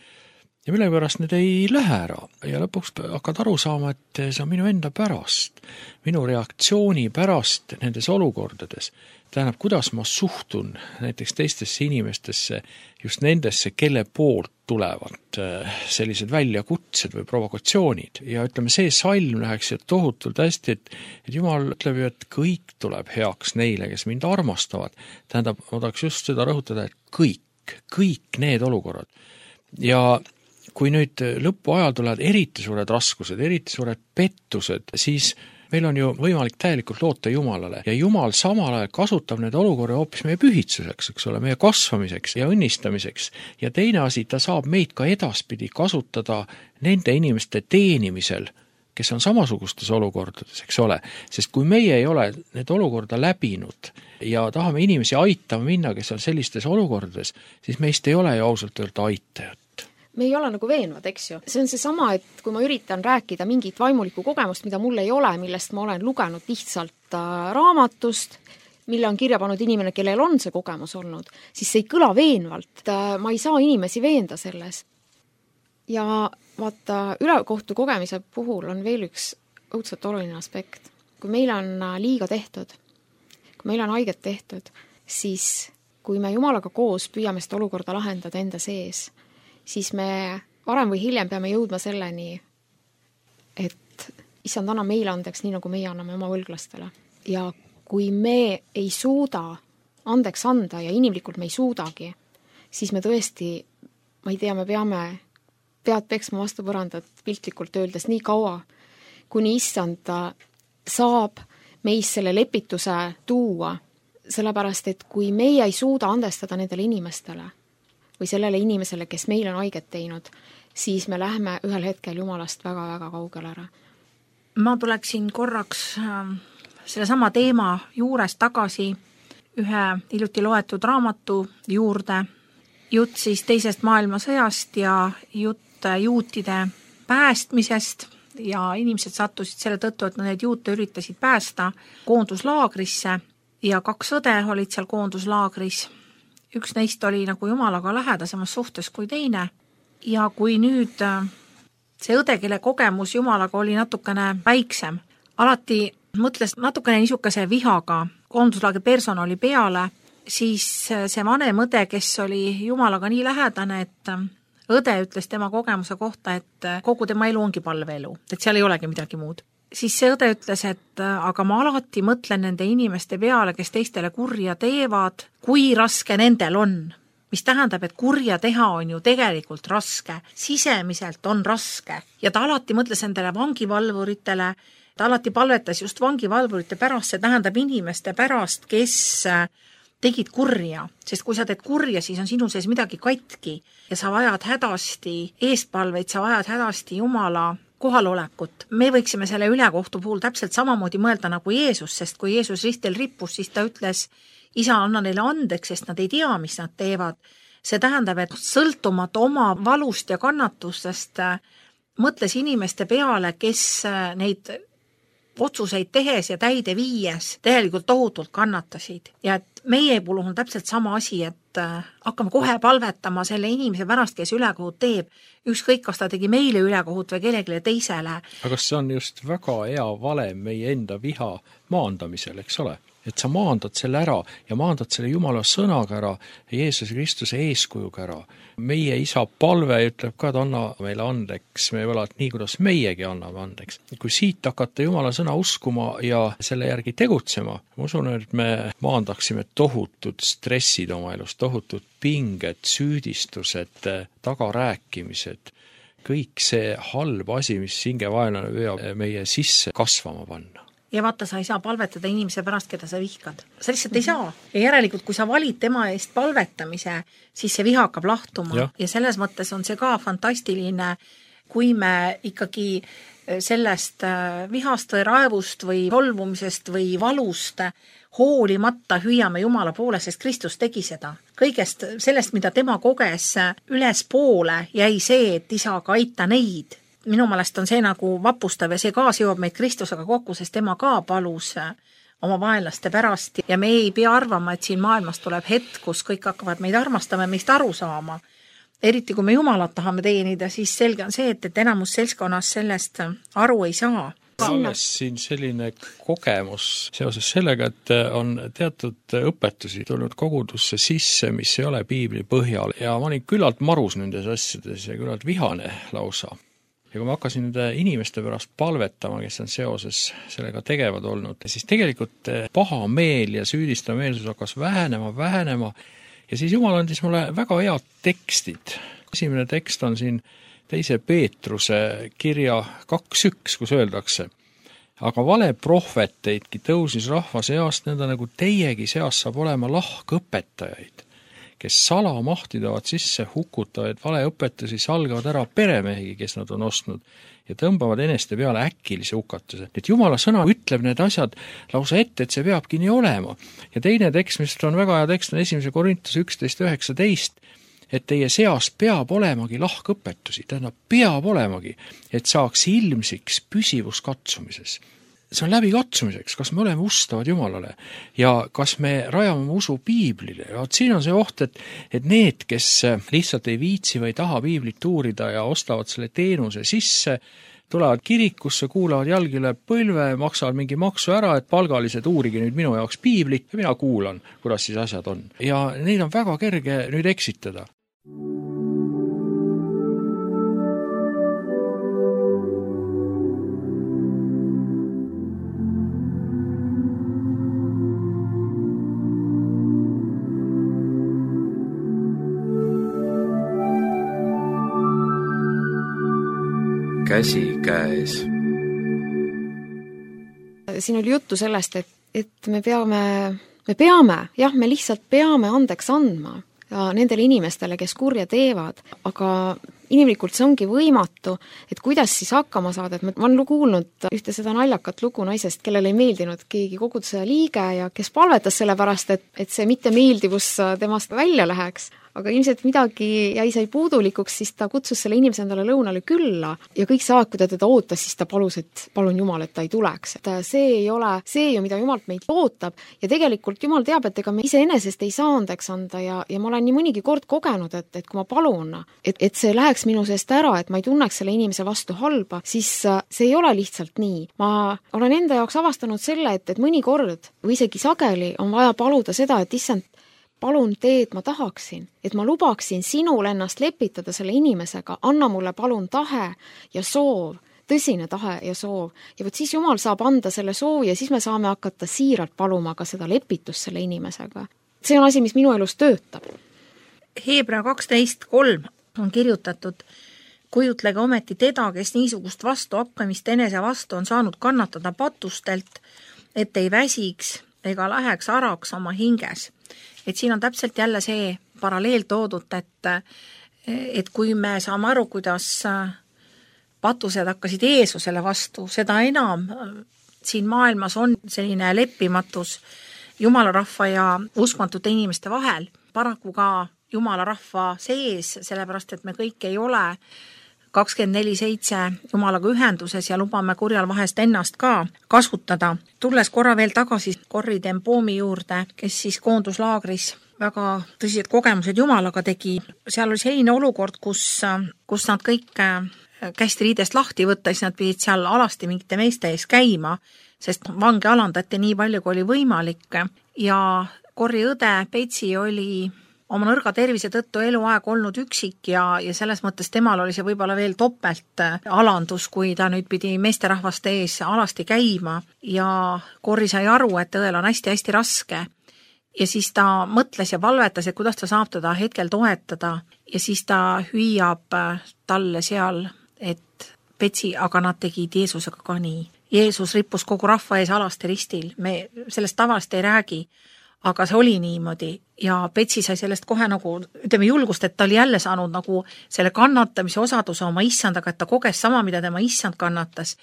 Ja mille pärast need ei lähe ära ja lõpuks hakkad aru saama, et see on minu enda pärast, minu reaktsiooni pärast nendes olukordades. Tähendab, kuidas ma suhtun näiteks teistesse inimestesse, just nendesse, kelle poolt tulevad sellised väljakutsed või provokatsioonid. Ja ütleme, see salm läheks tohutult hästi, et Jumal ütleb ju, et kõik tuleb heaks neile, kes mind armastavad. Tähendab, ma tahaks just seda rõhutada, et kõik need olukorrad. Ja kui nüüd lõpu ajal tulevad eriti suured raskused, eriti suured pettused, siis meil on ju võimalik täielikult loota Jumalale ja Jumal samal ajal kasutab need olukorra hoopis meie pühitsuseks, eks ole, meie kasvamiseks ja õnnistamiseks. Ja teine asi, ta saab meid ka edaspidi kasutada nende inimeste teenimisel, kes on samasugustes olukordades, eks ole. Sest kui meie ei ole need olukorda läbinud ja tahame inimesi aitama minna, kes on sellistes olukordades, siis meist ei ole ju ausalt öelda aitajat. Me ei ole nagu veenvad, eks ju. See on see sama, et kui ma üritan rääkida mingit vaimulikku kogemust, mida mul ei ole, millest ma olen lugenud lihtsalt raamatust, mille on kirja pannud inimene, kellel on see kogemus olnud, siis see ei kõla veenvalt. Ma ei saa inimesi veenda selles. ja vaata, ülekohtu kogemise puhul on veel üks õudselt oluline aspekt. Kui meil on liiga tehtud, kui meil on haiget tehtud, siis kui me Jumalaga koos püüame seda olukorda lahendada enda sees, siis me varem või hiljem peame jõudma selleni, et issand, anna meile andeks, nii nagu meie anname oma võlglastele. Ja kui me ei suuda andeks anda ja inimlikult me ei suudagi, siis me tõesti, ma ei tea, me peame pead peksma vastu põrandat piltlikult öeldes nii kaua, kuni issand saab meis selle lepituse tuua, sellepärast, et kui meie ei suuda andestada nendele inimestele või sellele inimesele, kes meil on haiget teinud, siis me lähme ühel hetkel Jumalast väga-väga kaugele ära. Ma tuleksin korraks selle sama teema juures tagasi ühe hiljuti loetud raamatu juurde. Jutt siis teisest maailmasõjast ja jutt juutide päästmisest ja inimesed sattusid selle tõttu, et need juute üritasid päästa koonduslaagrisse ja 2 õde olid seal koonduslaagris. Üks neist oli nagu Jumalaga lähedasemas suhtes kui teine ja kui nüüd see õde, kelle kogemus Jumalaga oli natukene väiksem, alati mõtles natukene niisuguse vihaga koonduslaagri personali peale, siis see vanem õde, kes oli Jumalaga nii lähedane, et õde ütles tema kogemuse kohta, et kogu tema elu ongi palveelu, et seal ei olegi midagi muud. Siis see õde ütles, et aga ma alati mõtlen nende inimeste peale, kes teistele kurja teevad, kui raske nendel on. Mis tähendab, et kurja teha on ju tegelikult raske, sisemiselt on raske. Ja ta alati mõtles nendele vangivalvuritele, ta alati palvetas just vangivalvurite pärast, see tähendab inimeste pärast, kes tegid kurja, sest kui sa teed kurja, siis on sinu sees midagi katki ja sa vajad hädasti eespalveid, sa vajad hädasti Jumala kohalolekut. Me võiksime selle ülekohtu puhul täpselt samamoodi mõelda nagu Jeesus, sest kui Jeesus ristil rippus, siis ta ütles, isa, anna neile andeks, sest nad ei tea, mis nad teevad. See tähendab, et sõltumata oma valust ja kannatustest mõtles inimeste peale, kes neid otsuseid tehes ja täide viies tegelikult tohutult kannatasid. Ja et meie puhul on täpselt sama asi, et hakkame kohe palvetama selle inimese pärast, kes ülekohut teeb. Ükskõik, kas ta tegi meile ülekohut või kellelegi teisele. Aga see on just väga hea valem meie enda viha maandamisel, eks ole? Et sa maandad selle ära ja maandad selle Jumala sõnaga ära ja Jeesus Kristuse eeskujuga ära. Meie isa palve ütleb ka, et anna meile andeks, me võlad nii, kuidas meiegi anname andeks. Kui siit hakata Jumala sõna uskuma ja selle järgi tegutsema, ma usun, et me maandaksime tohutud stressid oma elus, tohutud pinged, süüdistused, tagarääkimised, kõik see halb asi, mis hingevaenlane püüab meie sisse kasvama panna. Ja vaata, sa ei saa palvetada inimese pärast, keda sa vihkad. Sa lihtsalt ei saa. Ja järelikult, kui sa valid tema eest palvetamise, siis see viha hakkab lahtuma. Ja selles mõttes on see ka fantastiline, kui me ikkagi sellest vihast või raevust või solvumisest või valust hoolimata hüüame Jumala poole, sest Kristus tegi seda. Kõigest sellest, mida tema koges üles poole, jäi see, et isaga aita neid. Minu meelest on see nagu vapustav ja see ka seob meid Kristusega kokku, sest tema ka palus oma vaenlaste pärast ja me ei pea arvama, et siin maailmas tuleb hetk, kus kõik hakkavad meid armastama ja meist aru saama. Eriti kui me Jumalat tahame teenida, siis selge on see, et enamus seltskonnas sellest aru ei saa. Alles siin selline kogemus seoses sellega, et on teatud õpetusi tulnud kogudusse sisse, mis ei ole piibli põhjal ja ma olin küllalt marus nendes asjades ja küllalt vihane lausa. Ja kui ma hakkasin nüüd inimeste pärast palvetama, kes on seoses sellega tegevad olnud, siis tegelikult paha meel ja süüdistav meelsus hakkas vähenema ja siis Jumal andis mulle väga head tekstid. Esimene tekst on siin 2. Peetruse kirja 2.1, kus öeldakse, aga vale prohveteidki tõusis rahva seast, nõnda nagu teiegi seast saab olema lahkõpetajaid, kes salamahtidavat sisse hukutavaid valeõpetusi salgavad ära peremehi, kes nad on ostnud ja tõmbavad eneste peale äkilise hukatuse. Et Jumala sõna ütleb need asjad lausa ette, et see peabki nii olema. Ja teine tekst, mis on väga hea tekst, on 1. Korintuse 11.19, et teie seas peab olemagi lahkõpetusi, tähendab peab olemagi, et saaks ilmsiks püsivus katsumises. see on läbikatsumiseks, kas me oleme ustavad Jumalale ja kas me rajame oma usu piiblile. Ja siin on see oht, et need, kes lihtsalt ei viitsi või taha piiblit uurida ja ostavad selle teenuse sisse, tulevad kirikusse, kuulavad jalgi üle põlve, maksavad mingi maksu ära, et palgalised uurige nüüd minu jaoks piiblit ja mina kuulan, kuidas siis asjad on. Ja neid on väga kerge nüüd eksitada. Käsikäes. Siin oli juttu sellest, et me lihtsalt peame andeks andma ja nendele inimestele, kes kurja teevad, aga inimlikult see ongi võimatu, et kuidas siis hakkama saada, et ma olen kuulnud ühte seda naljakat lugu naisest, kellele ei meeldinud keegi koguduse liige ja kes palvetas selle pärast, et see mittemeeldivus temast välja läheks. Aga ilmselt midagi sai puudulikuks, siis ta kutsus selle inimese endale lõunale külla ja kõik see aeg, kui ta teda ootas, siis ta palus, et palun Jumal, et ta ei tuleks. Et see ei ole see ju, mida Jumalt meid ootab ja tegelikult Jumal teab, et ega me iseenesest ei saa andeks anda ja ma olen nii mõnigi kord kogenud, et kui ma palun, et see läheks minu seest ära, et ma ei tunneks selle inimese vastu halba, siis see ei ole lihtsalt nii. Ma olen enda jaoks avastanud selle, et mõnikord või isegi sageli on vaja paluda seda, et issand, palun tee, et ma tahaksin, et ma lubaksin sinul ennast lepitada selle inimesega, anna mulle palun tahe ja soov, tõsine tahe ja soov. Ja võt siis Jumal saab anda selle soovi ja siis me saame hakata siiralt paluma ka seda lepitust selle inimesega. See on asi, mis minu elus töötab. Hebra 12.3 on kirjutatud: kujutlege ometi teda, kes niisugust vastuhakkamist enese vastu on saanud kannatada patustelt, et ei väsiks ega läheks araks oma hinges. Et siin on täpselt jälle see paralleel toodud, et kui me saame aru, kuidas patused hakkasid Jeesusele vastu, seda enam siin maailmas on selline leppimatus Jumala rahva ja uskmatute inimeste vahel. Paraku ka Jumala rahva sees, sellepärast, et me kõik ei ole 24/7 Jumalaga ühenduses ja lubame kurjal vahest ennast ka kasutada. Tulles korra veel tagasi Corrie ten Bomi juurde, kes siis koonduslaagris väga tõsised kogemused Jumalaga tegi. Seal oli selline olukord, kus nad kõik kästi riidest lahti võtta, siis nad pidid seal alasti mingite meeste ees käima, sest vange alandati nii palju, kui oli võimalik. Ja Corrie õde Petsi oli oma nõrga tervise tõttu eluaeg olnud üksik ja selles mõttes temal oli see võib-olla veel topelt alandus, kui ta nüüd pidi meesterahvaste ees alasti käima ja Corrie sai aru, et õel on hästi-hästi raske. Ja siis ta mõtles ja palvetas, et kuidas ta saab teda hetkel toetada ja siis ta hüüab talle seal, et Petsi, aga nad tegid Jeesusega ka nii. Jeesus rippus kogu rahva ees alasti ristil, me sellest tavalist ei räägi, aga see oli niimoodi ja Petsi sai sellest kohe nagu, ütleme julgust, et ta oli jälle saanud nagu selle kannatamise osaduse oma issandaga, et ta koges sama, mida tema issand kannatas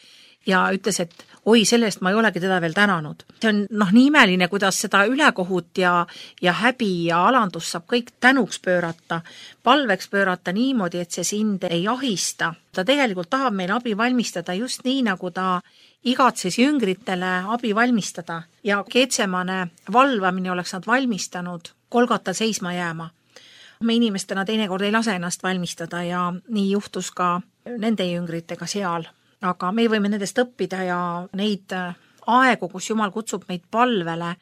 ja ütles, et oi, sellest ma ei olegi teda veel tänanud. See on nii imeline, kuidas seda ülekohut ja häbi ja alandus saab kõik tänuks pöörata, palveks pöörata niimoodi, et see sind ei ahista. Ta tegelikult tahab meil abi valmistada just nii, nagu ta igatses jüngritele abi valmistada ja Getsemane valvamine oleks nad valmistanud Golgotal seisma jääma. Me inimestena teinekord ei lase ennast valmistada ja nii juhtus ka nende jüngritega seal. Aga me võime nendest õppida ja neid aegu, kus Jumal kutsub meid palvele,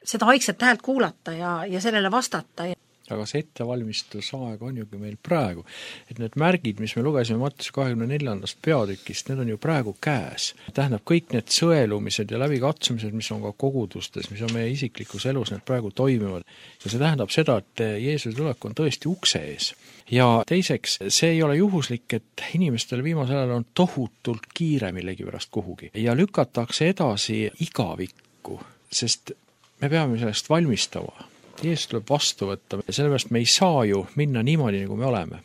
seda aegset häält kuulata ja sellele vastata. Aga see ettevalmistusaeg on ju meil praegu. Et need märgid, mis me lugesime Matteuse 24. peatükist, need on ju praegu käes. Tähendab, kõik need sõelumised ja läbikatsumised, mis on ka kogudustes, mis on meie isiklikus elus, need praegu toimivad. Ja see tähendab seda, et Jeesuse tulek on tõesti ukse ees. Ja teiseks, see ei ole juhuslik, et inimestele viimasel ajal on tohutult kiire millegi pärast kuhugi. Ja lükatakse edasi igavikku, sest me peame sellest valmistama. Jeesus tuleb vastu võtta ja sellepärast me ei saa ju minna niimoodi, nagu me oleme.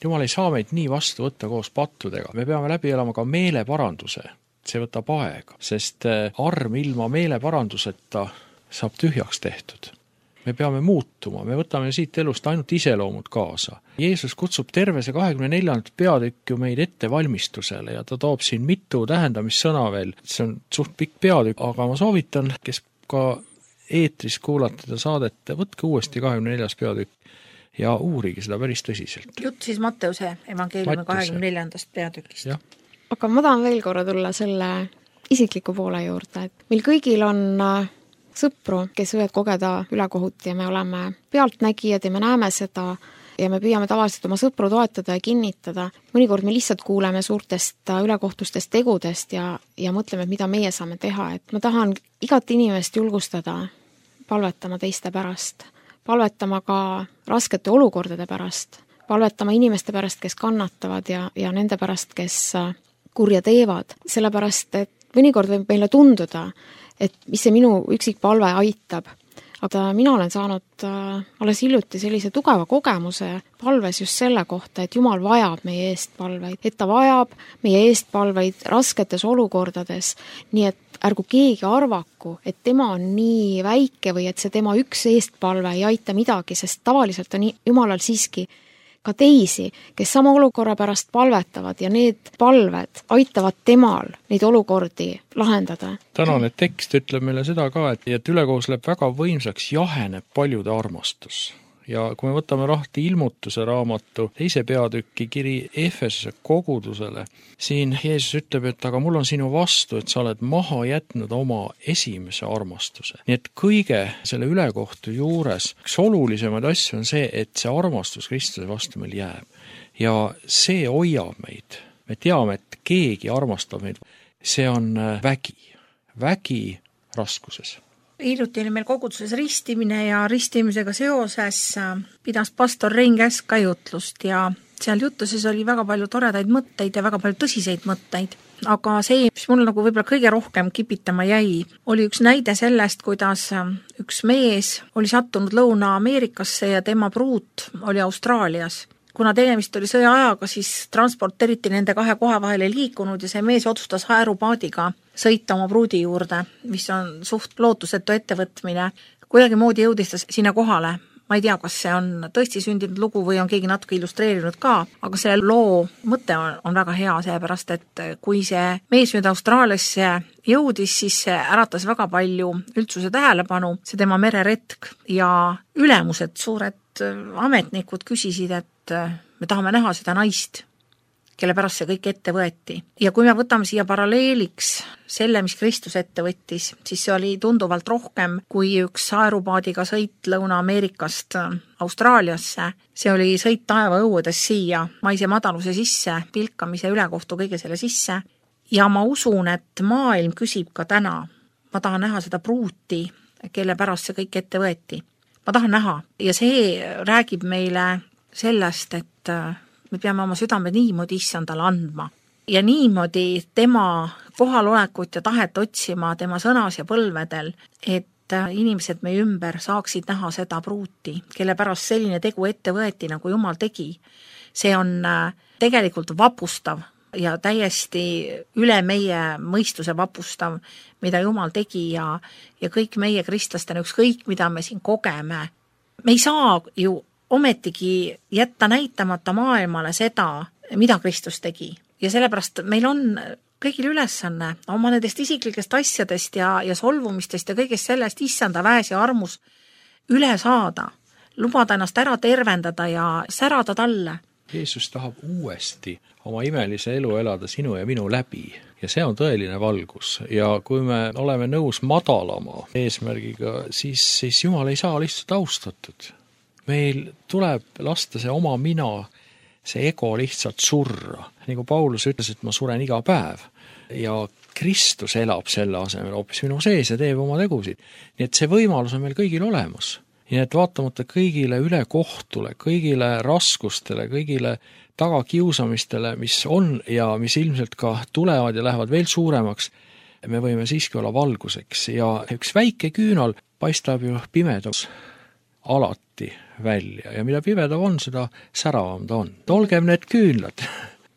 Jumal ei saa meid nii vastu võtta koos pattudega. Me peame läbi elama ka meeleparanduse. See võtab aega, sest arm ilma meeleparanduseta saab tühjaks tehtud. me peame muutuma, me võtame siit elust ainult iseloomud kaasa. Jeesus kutsub terve see 24. peatükk ju meid ettevalmistusele ja ta toob siin mitu tähendamissõna veel. See on suht pikk peatükk, aga ma soovitan, kes ka eetris kuulata seda saadet, võtke uuesti 24. peatükk ja uurige seda päris tõsiselt. Jutt siis Matteuse evangeeliumi 24. peatükist. Aga ma tahan veel korra tulla selle isikliku poole juurde, et meil kõigil on sõpru, kes võivad kogeda ülekohut ja me oleme pealtnägijad ja me näeme seda ja me püüame tavaliselt oma sõpru toetada ja kinnitada. Mõnikord me lihtsalt kuuleme suurtest ülekohtustest tegudest ja mõtleme, mida meie saame teha. Et ma tahan igat inimest julgustada palvetama teiste pärast, palvetama ka raskete olukordade pärast, palvetama inimeste pärast, kes kannatavad ja nende pärast, kes kurja teevad. Sellepärast, et mõnikord võib meile tunduda, et mis see minu üksik palve aitab. Aga mina olen saanud alles hiljuti sellise tugeva kogemuse palves just selle kohta, et Jumal vajab meie eest palveid, et ta vajab meie eest palveid rasketes olukordades, nii et ärgu keegi arvaku, et tema on nii väike või et see tema üks eestpalve ei aita midagi, sest tavaliselt on Jumalal siiski ka teisi, kes sama olukorra pärast palvetavad ja need palved aitavad temal neid olukordi lahendada. Tänane tekst ütleb meile seda ka, et ülekohus läheb väga võimsaks, jaheneb paljude armastus. Ja kui me võtame lahti ilmutuse raamatu 2. peatüki kiri Efesuse kogudusele, siin Jeesus ütleb, et aga mul on sinu vastu, et sa oled maha jätnud oma esimese armastuse. Nii et kõige selle ülekohtu juures üks olulisemaid asju on see, et see armastus Kristuse vastu meil jääb. Ja see hoiab meid. Me teame, et keegi armastab meid. See on vägi raskuses. Hiljuti oli meil koguduses ristimine ja ristimisega seoses pidas pastor Rein Käsk ka jutlust ja seal jutuses oli väga palju toredaid mõtteid ja väga palju tõsiseid mõtteid. Aga see, mis mul nagu võib-olla kõige rohkem kipitama jäi, oli üks näide sellest, kuidas üks mees oli sattunud Lõuna-Ameerikasse ja tema pruut oli Austraalias. Kuna tegemist oli sõjaajaga, siis transport eriti nende kahe koha vahel ei liikunud ja see mees otsustas aerupaadiga sõita oma pruudi juurde, mis on suht lootusetu ettevõtmine. Kuidagi moodi jõudis ta sinna kohale. Ma ei tea, kas see on tõesti sündinud lugu või on keegi natuke illustreerinud ka, aga selle loo mõte on väga hea, seepärast, et kui see mees nüüd Austraaliasse jõudis, siis see äratas väga palju üldsuse tähelepanu, see tema mereretk ja ülemused, suured ametnikud küsisid, et me tahame näha seda naist, kelle pärast see kõik ette võeti. Ja kui me võtame siia paralleeliks selle, mis Kristus ette võttis, siis see oli tunduvalt rohkem kui üks aerupaadiga sõit Lõuna-Ameerikast Austraaliasse. See oli sõit taevaõuedes siia, maise madaluse sisse, pilkamise ülekohtu kõige selle sisse. Ja ma usun, et maailm küsib ka täna. Ma tahan näha seda pruuti, kelle pärast see kõik ette võeti. Ma tahan näha ja see räägib meile sellest, et me peame oma südame niimoodi issandale andma ja niimoodi tema kohalolekut ja tahet otsima tema sõnas ja põlvedel, et inimesed meie ümber saaksid näha seda pruuti, kelle pärast selline tegu ette võeti, nagu Jumal tegi. See on tegelikult vapustav ja täiesti üle meie mõistuse vapustav, mida Jumal tegi ja kõik meie kristlastena, ükskõik mida me siin kogeme. Me ei saa ju ometigi jätta näitamata maailmale seda, mida Kristus tegi. Ja sellepärast meil on kõigil ülesanne oma nendest isiklikest asjadest ja solvumistest ja kõigest sellest issanda väes ja armus üle saada, lubada ennast ära tervendada ja särada talle. Jeesus tahab uuesti oma imelise elu elada sinu ja minu läbi ja see on tõeline valgus ja kui me oleme nõus madalama eesmärgiga, siis Jumal ei saa lihtsalt austatud. Meil tuleb lasta see oma mina, see ego lihtsalt surra. Nagu Paulus ütles, et ma suren iga päev ja Kristus elab selle asemel hoopis minu sees ja teeb oma tegusid. Nii et see võimalus on meil kõigil olemas. Nii et vaatamata kõigile ülekohtule, kõigile raskustele, kõigile tagakiusamistele, mis on ja mis ilmselt ka tulevad ja lähevad veel suuremaks, me võime siiski olla valguseks ja üks väike küünal paistab ju pimedas alati välja ja mida pimedav on, seda säravam ta on. Olgem need küünlad.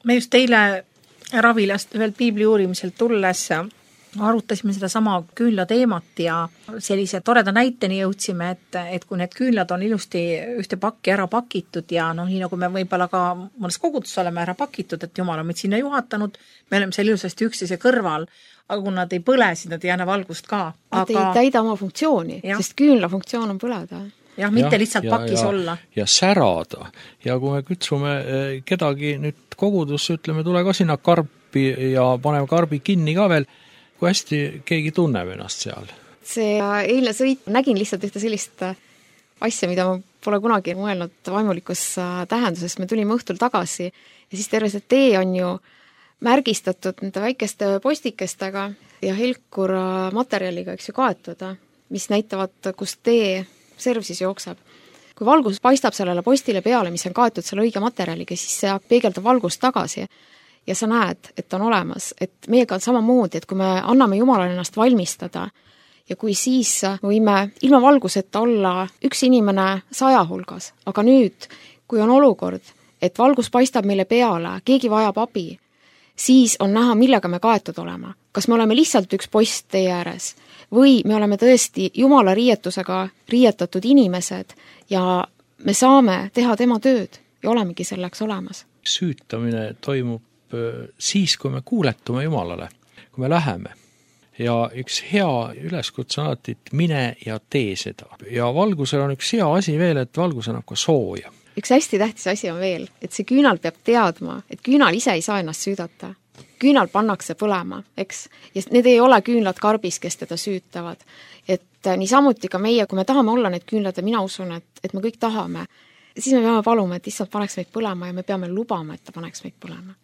Me just eile Ravilast ühelt piibli uurimiselt tulles arutasime seda sama küünla teemat ja sellise toreda näiteni jõudsime, et kui need küünlad on ilusti ühte pakki ära pakitud ja nii nagu me võib-olla ka mõnes koguduses oleme ära pakitud, et Jumal on meid sinna juhatanud, me oleme seal ilusasti üksteise kõrval, aga kui nad ei põle, siis nad ei anna valgust ka. Nad ei täida oma funktsiooni, sest küünla funktsioon on põleda. Jah, mitte lihtsalt pakis olla. Ja särada. Ja kui me kutsume kedagi nüüd kogudusse, ütleme, tule ka sinna karpi ja paneme karbi kinni ka veel, kui hästi keegi tunneb ennast seal. See eilne sõit, nägin lihtsalt ühte sellist asja, mida ma pole kunagi mõelnud vaimulikus tähenduses. Me tulime õhtul tagasi ja siis terve see tee on ju märgistatud nende väikeste postikestega ja helkur materjaliga, eks ju, kaetud, mis näitavad, kus tee serv siis jookseb. Kui valgus paistab sellele postile peale, mis on kaetud selle õige materjaliga, siis see peegeldab valgust tagasi ja sa näed, et on olemas, et meiega on samamoodi, et kui me anname Jumalale ennast valmistada ja kui siis võime ilma valguseta olla üks inimene 100 hulgas, aga nüüd, kui on olukord, et valgus paistab meile peale, keegi vajab abi, siis on näha, millega me kaetud olema. Kas me oleme lihtsalt üks post tee ääres või me oleme tõesti Jumala riietusega riietatud inimesed ja me saame teha tema tööd ja olemegi selleks olemas. Süütamine toimub siis, kui me kuuletume Jumalale, kui me läheme. Ja üks hea üleskutse on alati, et mine ja tee seda. Ja valgusel on üks hea asi veel, et valgus annab ka sooja. Üks hästi tähtis asi on veel, et see küünal peab teadma, et küünal ise ei saa ennast süüdata. Küünal pannakse põlema, eks? Ja need ei ole küünlad karbis, kes teda süütavad. Et niisamuti ka meie, kui me tahame olla need küünlad ja mina usun, et me kõik tahame, siis me peame paluma, et issand paneks meid põlema ja me peame lubama, et ta paneks meid põlema.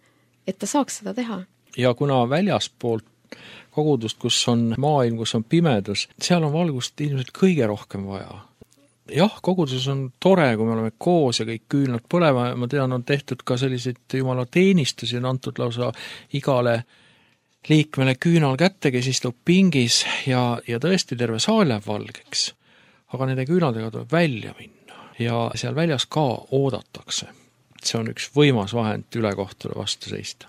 Et ta saaks seda teha. Ja kuna väljaspoolt kogudust, kus on maailm, kus on pimedus, seal on valgust ilmselt kõige rohkem vaja. Jah, koguduses on tore, kui me oleme koos ja kõik küünlad põlema, ma tean, on tehtud ka selliseid Jumala teenistusi, on antud lausa igale liikmele küünal kätte, kes istub pingis ja tõesti terve saal läheb valgeks. Aga nende küünaldega tuleb välja minna ja seal väljas ka oodatakse. See on üks võimas vahend ülekohtule vastu seista.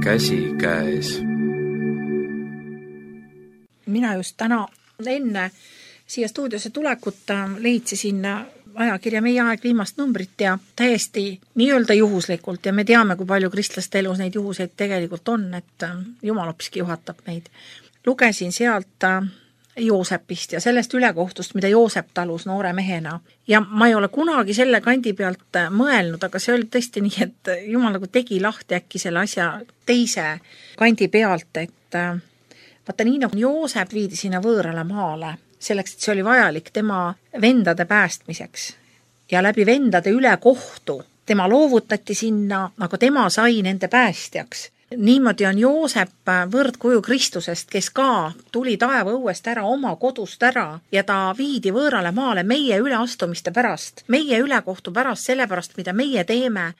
Käsi käes. Mina just täna enne siia stuudiosse tulekut leitsisin ajakirja Meie aeg viimast numbrit ja täiesti nii-öelda juhuslikult ja me teame, kui palju kristlaste elus neid juhuseid tegelikult on, et Jumal hoopiski juhatab meid. Lugesin sealt Joosepist ja sellest ülekohtust, mida Joosep talus noore mehena. Ja ma ei ole kunagi selle kandi pealt mõelnud, aga see oli tõesti nii, et Jumal nagu tegi lahti äkki selle asja teise kandi pealt, et vaata nii nagu Joosep viidi sinna võõrale maale, selleks, et see oli vajalik tema vendade päästmiseks. Ja läbi vendade ülekohtu tema loovutati sinna, aga tema sai nende päästjaks. Niimoodi on Joosep võrdkuju Kristusest, kes ka tuli taeva õuest ära, oma kodust ära ja ta viidi võõrale maale meie üleastumiste pärast, meie ülekohtu pärast, sellepärast, mida meie teeme,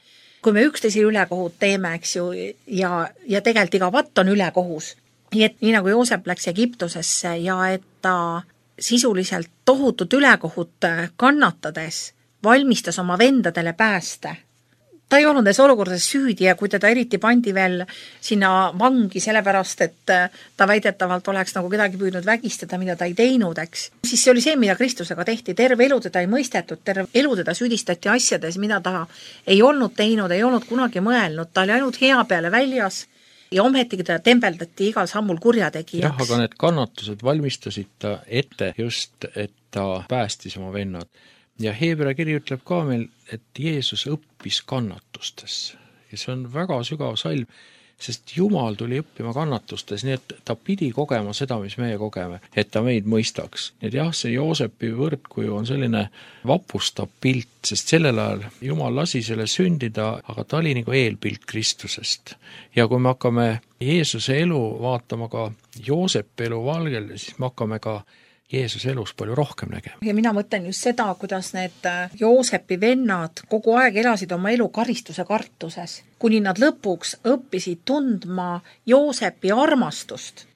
kui me üksteise ülekohut teeme, eks ju, ja tegelikult iga vatt on ülekohus. Nii nagu Joosep läks Egiptusesse ja et ta sisuliselt tohutut ülekohut kannatades valmistas oma vendadele pääste. Ta ei olnud nendes olukordades süüdi ja kui teda eriti pandi veel sinna vangi sellepärast, et ta väidetavalt oleks nagu kedagi püüdnud vägistada, mida ta ei teinud, eks. Siis see oli see, mida Kristusega tehti. Terve elu teda ei mõistetud, terve elu teda süüdistati asjades, mida ta ei olnud teinud, ei olnud kunagi mõelnud. Ta oli ainult hea peale väljas ja ometigi teda tembeldati igal sammul kurjategijaks. Jah, aga need kannatused valmistasid ta ette just, et ta päästis oma vennad. Ja Heebrea kiri ütleb ka meil, et Jeesus õppis kannatustes. Ja see on väga sügav salm, sest Jumal tuli õppima kannatustes, nii et ta pidi kogema seda, mis meie kogeme, et ta meid mõistaks. Nii et jah, see Joosepi võrdkuju on selline vapustav pilt, sest sellel ajal Jumal lasi selle sündida, aga ta oli nagu eelpilt Kristusest. Ja kui me hakkame Jeesuse elu vaatama ka Joosepi elu valgel, siis me hakkame ka Jeesuse elus palju rohkem nägema. Ja mina mõtlen just seda, kuidas need Joosepi vennad kogu aeg elasid oma elu karistuse kartuses, kuni nad lõpuks õppisid tundma Joosepi armastust.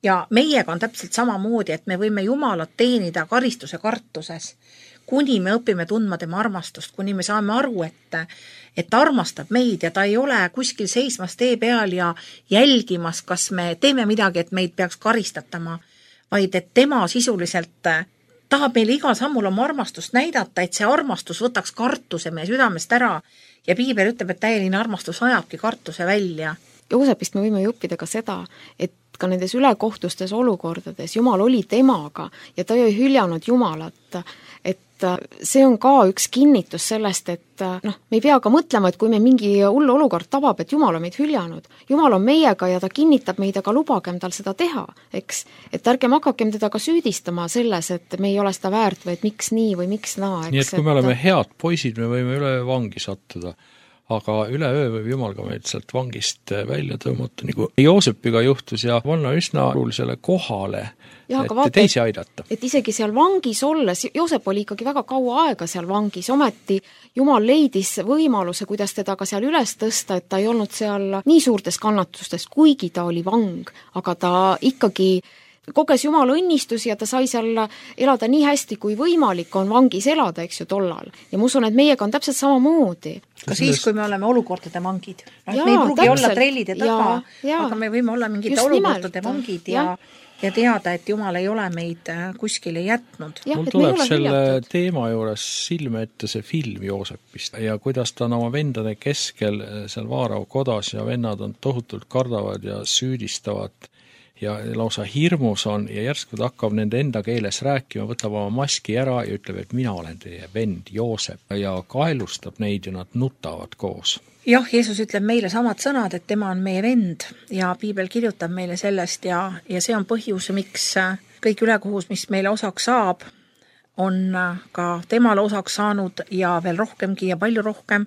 Ja meiega on täpselt samamoodi, et me võime Jumalat teenida karistuse kartuses, kuni me õpime tundma tema armastust, kuni me saame aru, et ta armastab meid ja ta ei ole kuskil seismas tee peal ja jälgimas, kas me teeme midagi, et meid peaks karistatama, vaid et tema sisuliselt tahab meile igal sammul oma armastust näidata, et see armastus võtaks kartuse meie südamest ära ja Piibel ütleb, et täieline armastus ajabki kartuse välja. Joosepist me võime ju õppida ka seda, et ka nendes ülekohtustes olukordades Jumal oli temaga ja ta ei hüljanud Jumalat, et see on ka üks kinnitus sellest, et me ei pea ka mõtlema, et kui me mingi hull olukord tabab, et Jumal on meid hüljanud. Jumal on meiega ja ta kinnitab meid, aga lubagem tal seda teha, eks? Et ärgem hakakem teda ka süüdistama selles, et me ei ole seda väärt või et miks nii või miks naa, eks? Nii et kui me oleme head poisid, me võime üle vangi sattuda. Aga üle öö võib Jumal ka meid sealt vangist välja tõmmata, nagu Joosepiga juhtus ja panna üsna olulisele kohale, et teisi aidata. Et isegi seal vangis olles, Joosep oli ikkagi väga kaua aega seal vangis, ometi Jumal leidis võimaluse, kuidas teda ka seal üles tõsta, et ta ei olnud seal nii suurtes kannatustes, kuigi ta oli vang, aga ta ikkagi koges Jumala õnnistusi ja ta sai seal elada nii hästi, kui võimalik on vangis elada, eks ju, tollal. Ja ma usun, et meiega on täpselt samamoodi. Ka siis, kui me oleme olukordade vangid. Me ei pruugi olla trellide taga, aga me võime olla mingite olukordade vangid ja teada, et Jumal ei ole meid kuskile jätnud. Mul tuleb selle teema juures silme ette see film Joosepist ja kuidas ta on oma vendade keskel seal Vaarau kodas ja vennad on tohutult kardavad ja süüdistavad ja lausa hirmus on ja järsku ta hakkab nende enda keeles rääkima, võtab oma maski ära ja ütleb, et mina olen teie vend Joosep ja kaelustab neid ja nad nutavad koos. Jah, Jeesus ütleb meile samad sõnad, et tema on meie vend ja Piibel kirjutab meile sellest ja see on põhjus, miks kõik ülekohus, mis meile osaks saab, on ka temale osaks saanud ja veel rohkemgi ja palju rohkem,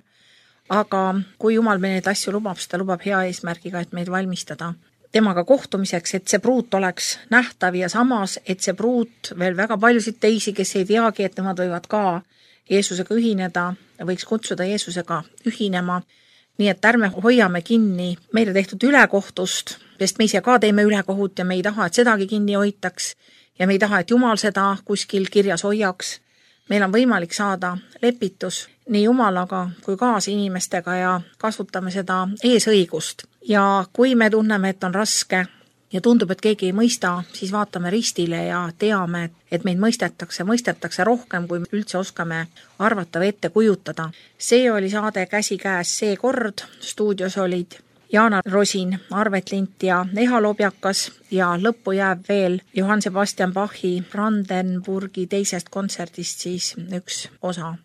aga kui Jumal meile neid asju lubab, siis ta lubab hea eesmärgiga, et meid valmistada temaga kohtumiseks, et see pruut oleks nähtav ja samas, et see pruut veel väga paljusid teisi, kes ei teagi, et nemad võivad ka Jeesusega ühineda, võiks kutsuda Jeesusega ühinema. Nii et ärme hoiame kinni meile tehtud ülekohtust, sest me ise ka teeme ülekohut ja me ei taha, et sedagi kinni hoitaks ja me ei taha, et Jumal seda kuskil kirjas hoiaks. Meil on võimalik saada lepitus nii Jumalaga kui kaasinimestega ja kasutame seda eesõigust. Ja kui me tunneme, et on raske ja tundub, et keegi ei mõista, siis vaatame ristile ja teame, et meid mõistetakse rohkem, kui üldse oskame arvata või ette kujutada. See oli saade Käsikäes seekord. Stuudios olid Jaana Rosin, Arvet Lint ja Eha Lobjakas ja lõppu jääb veel Johann Sebastian Bachi Brandenburgi teisest kontserdist siis üks osa.